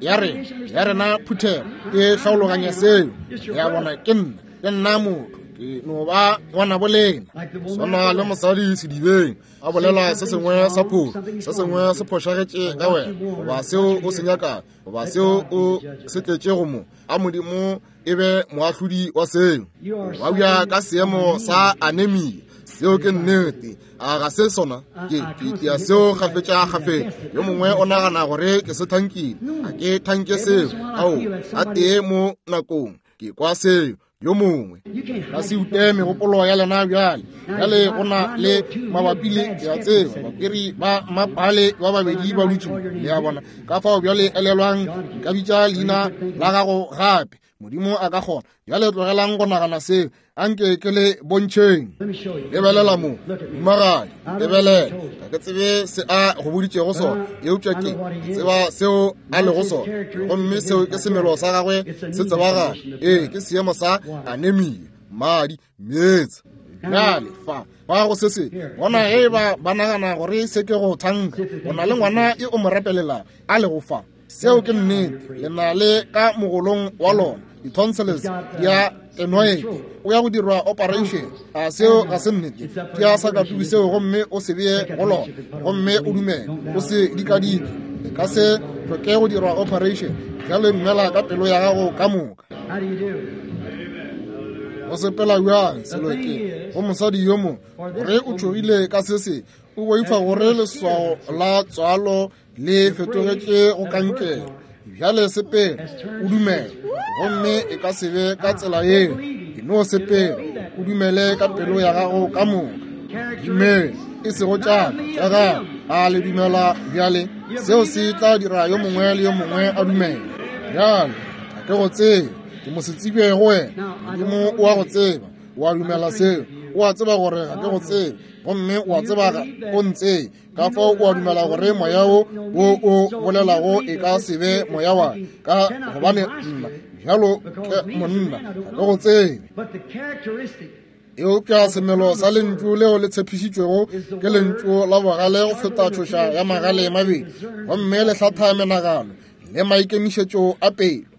Ya rena, ya rena phuthego e hlaologanya seo. Ya bona, ke nna, ke nna motho, ke no ba ngwana bolena. Swana le mosadi sedibeng a bolela se sengwe sa phošo, se sengwe se phošagetše ka wena, goba seo o se nyakago, goba seo o se tletšego mo. A Modimo e be moahlodi wa seo. Wa bja ka seemo sa anemia. Seo ke nnete. A ga se sona? Ke ke ya seo kgafetša kgafetša. Yo mongwe o nagana gore ke se thankile. A ke thanke seo. Ao, a tee mo nakong ke kwa seo. Yo mongwe ka se ute megopolo ya lena bjale. Bjale go na le mabapi le ya tseba bapiri ba mapale ba babedi ba dutše mo. Le a bona? Ka fao bjale elelwang, nka bitša leina la gago gape. Modimo a ka kgona. Bjale tlogelang go nagana seo. Anke ke le bontšheng. Lebelela mo, mohumagadi, lebelela. Ga ke tsebe se a go boditšego sona, eupša ke tseba seo a lego sona, gomme seo ke semelo sa gagwe se tsebagala. Ee, ke seemo sa anemia, madi, meetse. Bjale fa ba go se se bona, ge ba ba nagana gore se ke go thanka, o na le ngwana e o mo rapelelang a lego fa. Seo ke nnete. Le na le ka mogolong wa lona di-tonsils di a tenoete, o ya go dirwa operation. A seo ga se nnete? Ke a sa katubi seo, gomme o se bee go lona, gomme o dumele, o se dikadike. E ka se hloke go dirwa operation. Bjale dumela ka pelo ya gago ka moka. Go sepela bjang selo ke go mosadi yo mongwe gore o tšhogile ka se se, o boifa gore leswao la tswalo le fetogetše go kankere. Bjale sepela, o dumele, gomme e ka se be ka tsela yeo. E no sepela, o dumele ka pelo ya gago ka moka. Dumele, e sego tša tša gago. A le dumela bjale? Seo se tla dira yo mongwe le yo mongwe a dumele. Bjale ga ke go tsebe, ke mosetsebje go wena. Modimo o a go tseba. O a dumela seo? O a tseba gore ga ke go tsebe, gomme o a tseba ga o ntsebe. Ka fao o a dumela gore moya wo wo o bolelago e ka se be moya wa ka, gobane nna bjalo ke monna ga ke go tsebe. Eupša semelo sa lentšu leo le tshepišitšwego ke lentšu la bogale go feta tšhoša ya magale mabedi, gomme le hlatha menagano le maikemišetšo a pelo.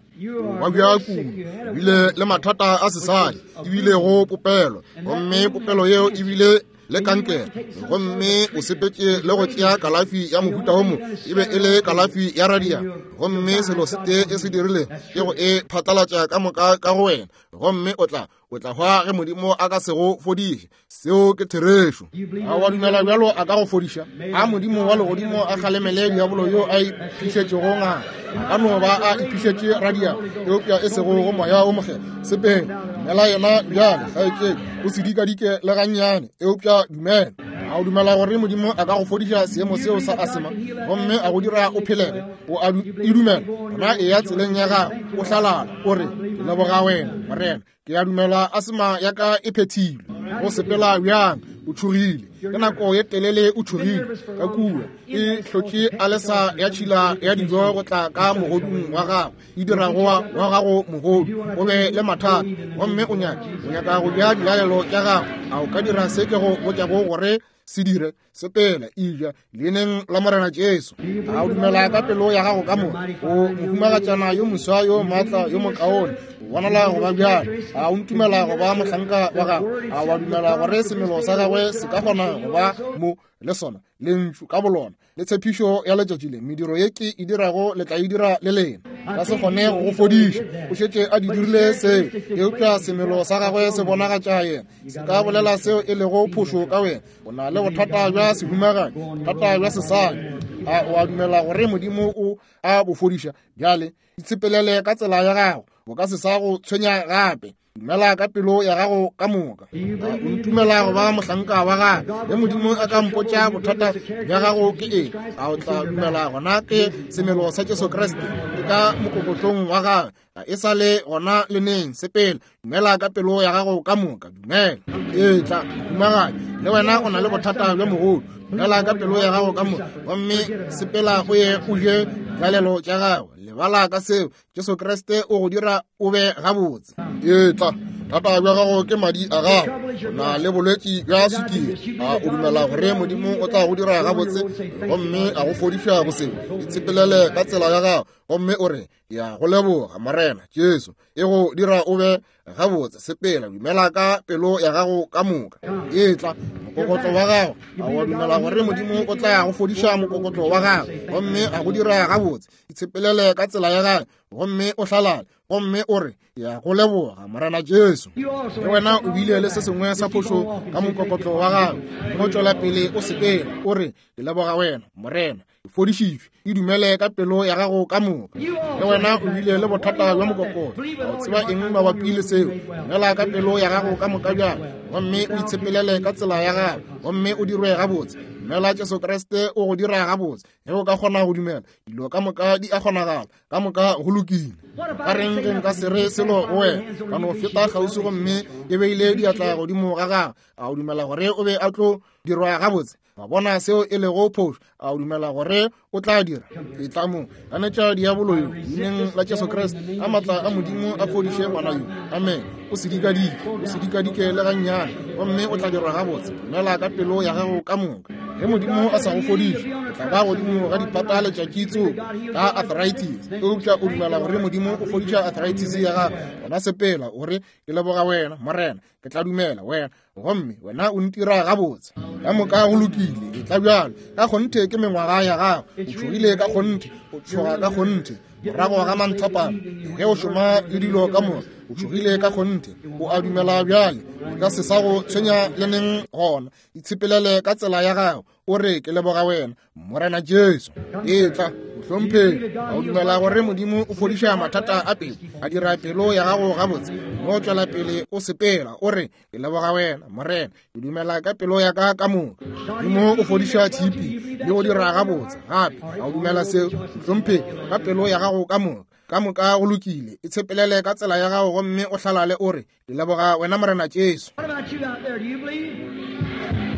Wa bja kudu, ebile le mathata a sesadi, ebile go popelo, gomme popelo yeo ebile le kankere, gomme o sepetše le go tšea kalafi ya mohuta wo mo, e be e le kalafi ya radia, gomme selo se tee e se dirile ke go e phatlalatša ka moka ka go wena, gomme o tla o tla hwa ge Modimo a ka se go fodiše. Seo ke therešo. A wa dumela bjalo a ka go fodiša? A Modimo wa legodimo a kgalemele diabolo yo a iphišetšego ngaka. A ka no ba a iphišetše radia, eupša e sego go moya o mokgethwa. Sepela, dumela yena bjale, kgaetšedi, o se dikadike le gannyane, eupša dumela. A o dumela gore Modimo a ka go fodiša seemo seo sa asema gomme a go dira o phelege? O a e dumela? Gona eya tseleng ya gago, o hlalala, o re, ke leboga wena, Morena. Ke a dumela asema ya ka e phethilwe. Go sepela bjang? O tšhogile. Ke nako ye telele o tšhogile. Ka kua e hlotše alesa ya tšhila ya dijo go tla ka mogodung wa gago, e dirago wa gago mogodu o be le mathata, gomme o nyaka o nyaka go ja dilalelo tša gago. A o ka dira se ke go botšago gore se dire? Sepela, eja leineng la Morena Jesu. A o dumela ka pelo ya gago ka moka? O mohumagatšana yo moswa yo maatla yo mokaone, o bonala go ba bjalo. A o ntumela go ba mohlanka wa gago? A wa dumela gore semelo sa gagwe se ka kgona go ba mo le sona lentšu ka bolona le tshepišo ya letšatši le? Mediro ye ke e dirago le tla e dira le lena. Ka se kgone go go fodiša, o šetše a di dirile seo, eupša semelo sa gagwe se bonagatša yena. Se ka bolela seo e lego phošo ka wena. O na le bothata bja sehumagadi, bothata bja sesadi. A o a dumela gore Modimo o a bo fodiša? Bjale itshepelele ka tsela ya gago, bo ka se sa go tshwenya gape. Dumela ka pelo ya gago ka moka. O ntumela go ba mohlanka wa gagwe? Ge Modimo a ka mpotša bothata bja gago ke eng, a o tla dumela gona ke semelo sa Jesu Kriste ke ka mokokotlong wa gagwe? Ga e sa le gona le neng. Sepela, dumela ka pelo ya gago ka moka. Dumela. Etla, mohumagadi, le wena o na le bothata bja mogodu. Dumela ka pelo ya gago ka moka, gomme sepela o ye o je dilalelo tša gago. Lebala ka seo. Jesu Kriste o go dira o be gabotse. Etla, thata bja gago ke madi a gago. O na le bolwetši bja sukiri. A o dumela gore Modimo o tla go dira gabotse gomme a go fodiša go seo? Itshepelele ka tsela ya gago gomme o re, ya go leboga Morena Jesu, e go dira o be gabotse. Sepela, dumela ka pelo ya gago ka moka. Etla, mokokotlo wa gago. A wa dumela gore Modimo o tla go fodiša mokokotlo wa gago gomme a go dira gabotse? Itshepelele ka tsela ya gago gomme o hlalale, gomme o re, ya go leboga Morena Jesu. Le wena o bile le se sengwe sa phošo ka mokokotlo wa gago, mo tšwela pele o sepela, o re, ke leboga wena Morena, ke fodišitšwe. E dumele ka pelo ya gago ka moka. Le wena o bile le bothata bja mokokotlo, o tseba eng mabapi le seo? Dumela ka pelo ya gago ka moka bjalo, gomme o itshepelele ka tsela ya gago, gomme o dirwe gabotse. Dumela Jesu Kriste o go dira gabotse. Ge o ka kgona go dumela, dilo ka moka di a kgonagala, ka moka go lokile. Ka reng ge nka se re selo go wena, ka no feta kgauswi gomme ke beile diatla godimo ga gago? A o dumela gore o be a tlo dirwa gabotse? Wa bona seo e lego phošo? A o dumela gore o tla dira? Etla mo, ganetša diabolo yo leineng la Jesu Kriste. A maatla a Modimo a fodiše ngwana yo. Amen. O se dikadike, o se dikadike le gannyane, gomme o tla dirwa gabotse. Dumela ka pelo ya gago ka moka. Ge Modimo a sa go fodiše, o tla ba godimo ga dipata letšatši tsoko ka arthritis. Eupša o dumela gore Modimo o fodiša arthritis ya gago, gona sepela o re, ke leboga wena Morena, ke tla dumela wena, gomme wena o ntira gabotse. Ka moka go lokile. Etla bjalo. Ka kgonthe ke mengwaga ya gago. O tšhogile ka kgonthe, o tšhoga ka kgonthe. Morago ga manthapana, ge o šoma le dilo ka moka, o tšhogile ka kgonthe. O a dumela bjale, o ka se sa go tshwenya le neng gona. Itshepelele ka tsela ya gago, o re, ke leboga wena Morena Jesu. Etla, mohlomphegi. A o dumela gore Modimo o fodiša mathata a pelo, a dira pelo ya gago gabotse? Mo tšwela pele o sepela, o re, ke leboga wena Morena, ke dumela ka pelo ya ka ka moka. Modimo o fodiša tshipi le go dira gabotse gape. A o dumela seo, mohlomphegi, ka pelo ya gago ka moka? Ka moka go lokile. E tshepelele ka tsela ya gago gomme o hlalale o re, ke leboga wena Morena Jesu. What about you out there? Do you believe?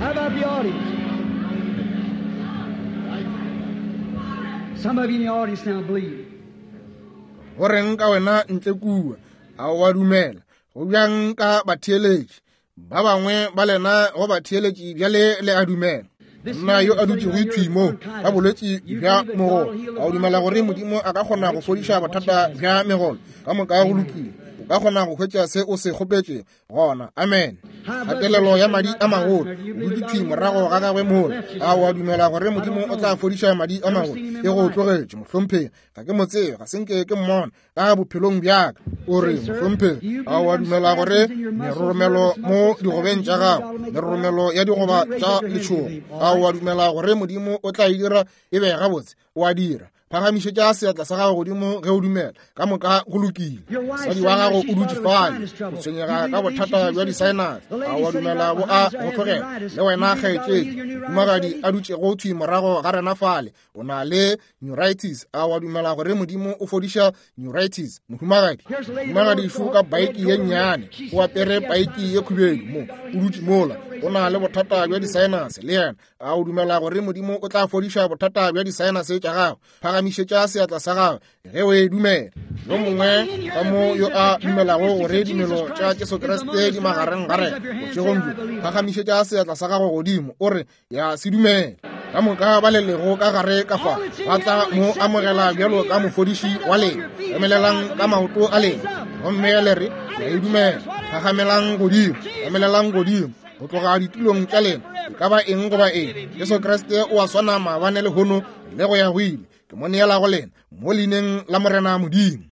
How about the audience? Some of you in the audience now believe. Go reng ka wena ntle kua? A o a dumela? Go bjang ka batheeletši? Ba bangwe ba lena go batheeletši bjale le a dumela. Monna yo a dutšego thwi mo ka bolwetši bja mogolo, a o dumela gore Modimo a ka kgona go fodiša bothata bja megolo? Ka moka go lokile. O ka kgona go hwetša se o se kgopetše gona. Amen. Kgatelelo ya madi a magolo, o dutše thwi morago ga gagwe mola. A o a dumela gore Modimo o tla fodiša madi a magolo? E go tlogetše, mohlomphegi. Ga ke mo tsebe, ga se nke ke mmona ka bophelong bjaka. O re, mohlomphegi, a o a dumela gore meroromelo mo digobeng tša gago, meroromelo ya digoba tša letšhogo, a o a dumela gore Modimo o tla e dira e be gabotse? O a dira. Phagamišetša seatla sa gago godimo ge o dumela. Ka moka go lokile. Mosadi wa gago o dutše fale, o tshwenyega ka bothata bja di-sinus. A o a dumela bo a go tlogela? Le wena kgaetšedi, mohumagadi a dutšego thwi morago ga rena fale, o na le neuritis. A o a dumela gore Modimo o fodiša neuritis? Mohumagadi, mohumagadi šo ka baiki ye nnyane, o apere paiki ye khubedu mo, o dutše mola, o na le bothata bja di-sinus le yena. A o dumela gore Modimo o tla fodiša bothata bja di-sinus tša gago? Phagamišetša seatla sa gago ge o e dumela. Yo mongwe ka mo yo a dumelago gore dimelo tša Jesu Kriste di magareng ga rena bošegong bjo, phagamišetša seatla sa gago godimo o re, ya se dumela. Ka moka ba le lego ka gare ka fa ba tla mo amogela bjalo ka mofodiši wa lena. Emelelang ka maoto a lena gomme le re, ya e dumela. Phagamelang godimo, emelelang godimo go tloga ditulong tša lena. E ka ba eng goba eng, Jesu Kriste o a swana maabane lehono le go ya go ile. Ke mo neela go lena mo leineng la Morena Modimo.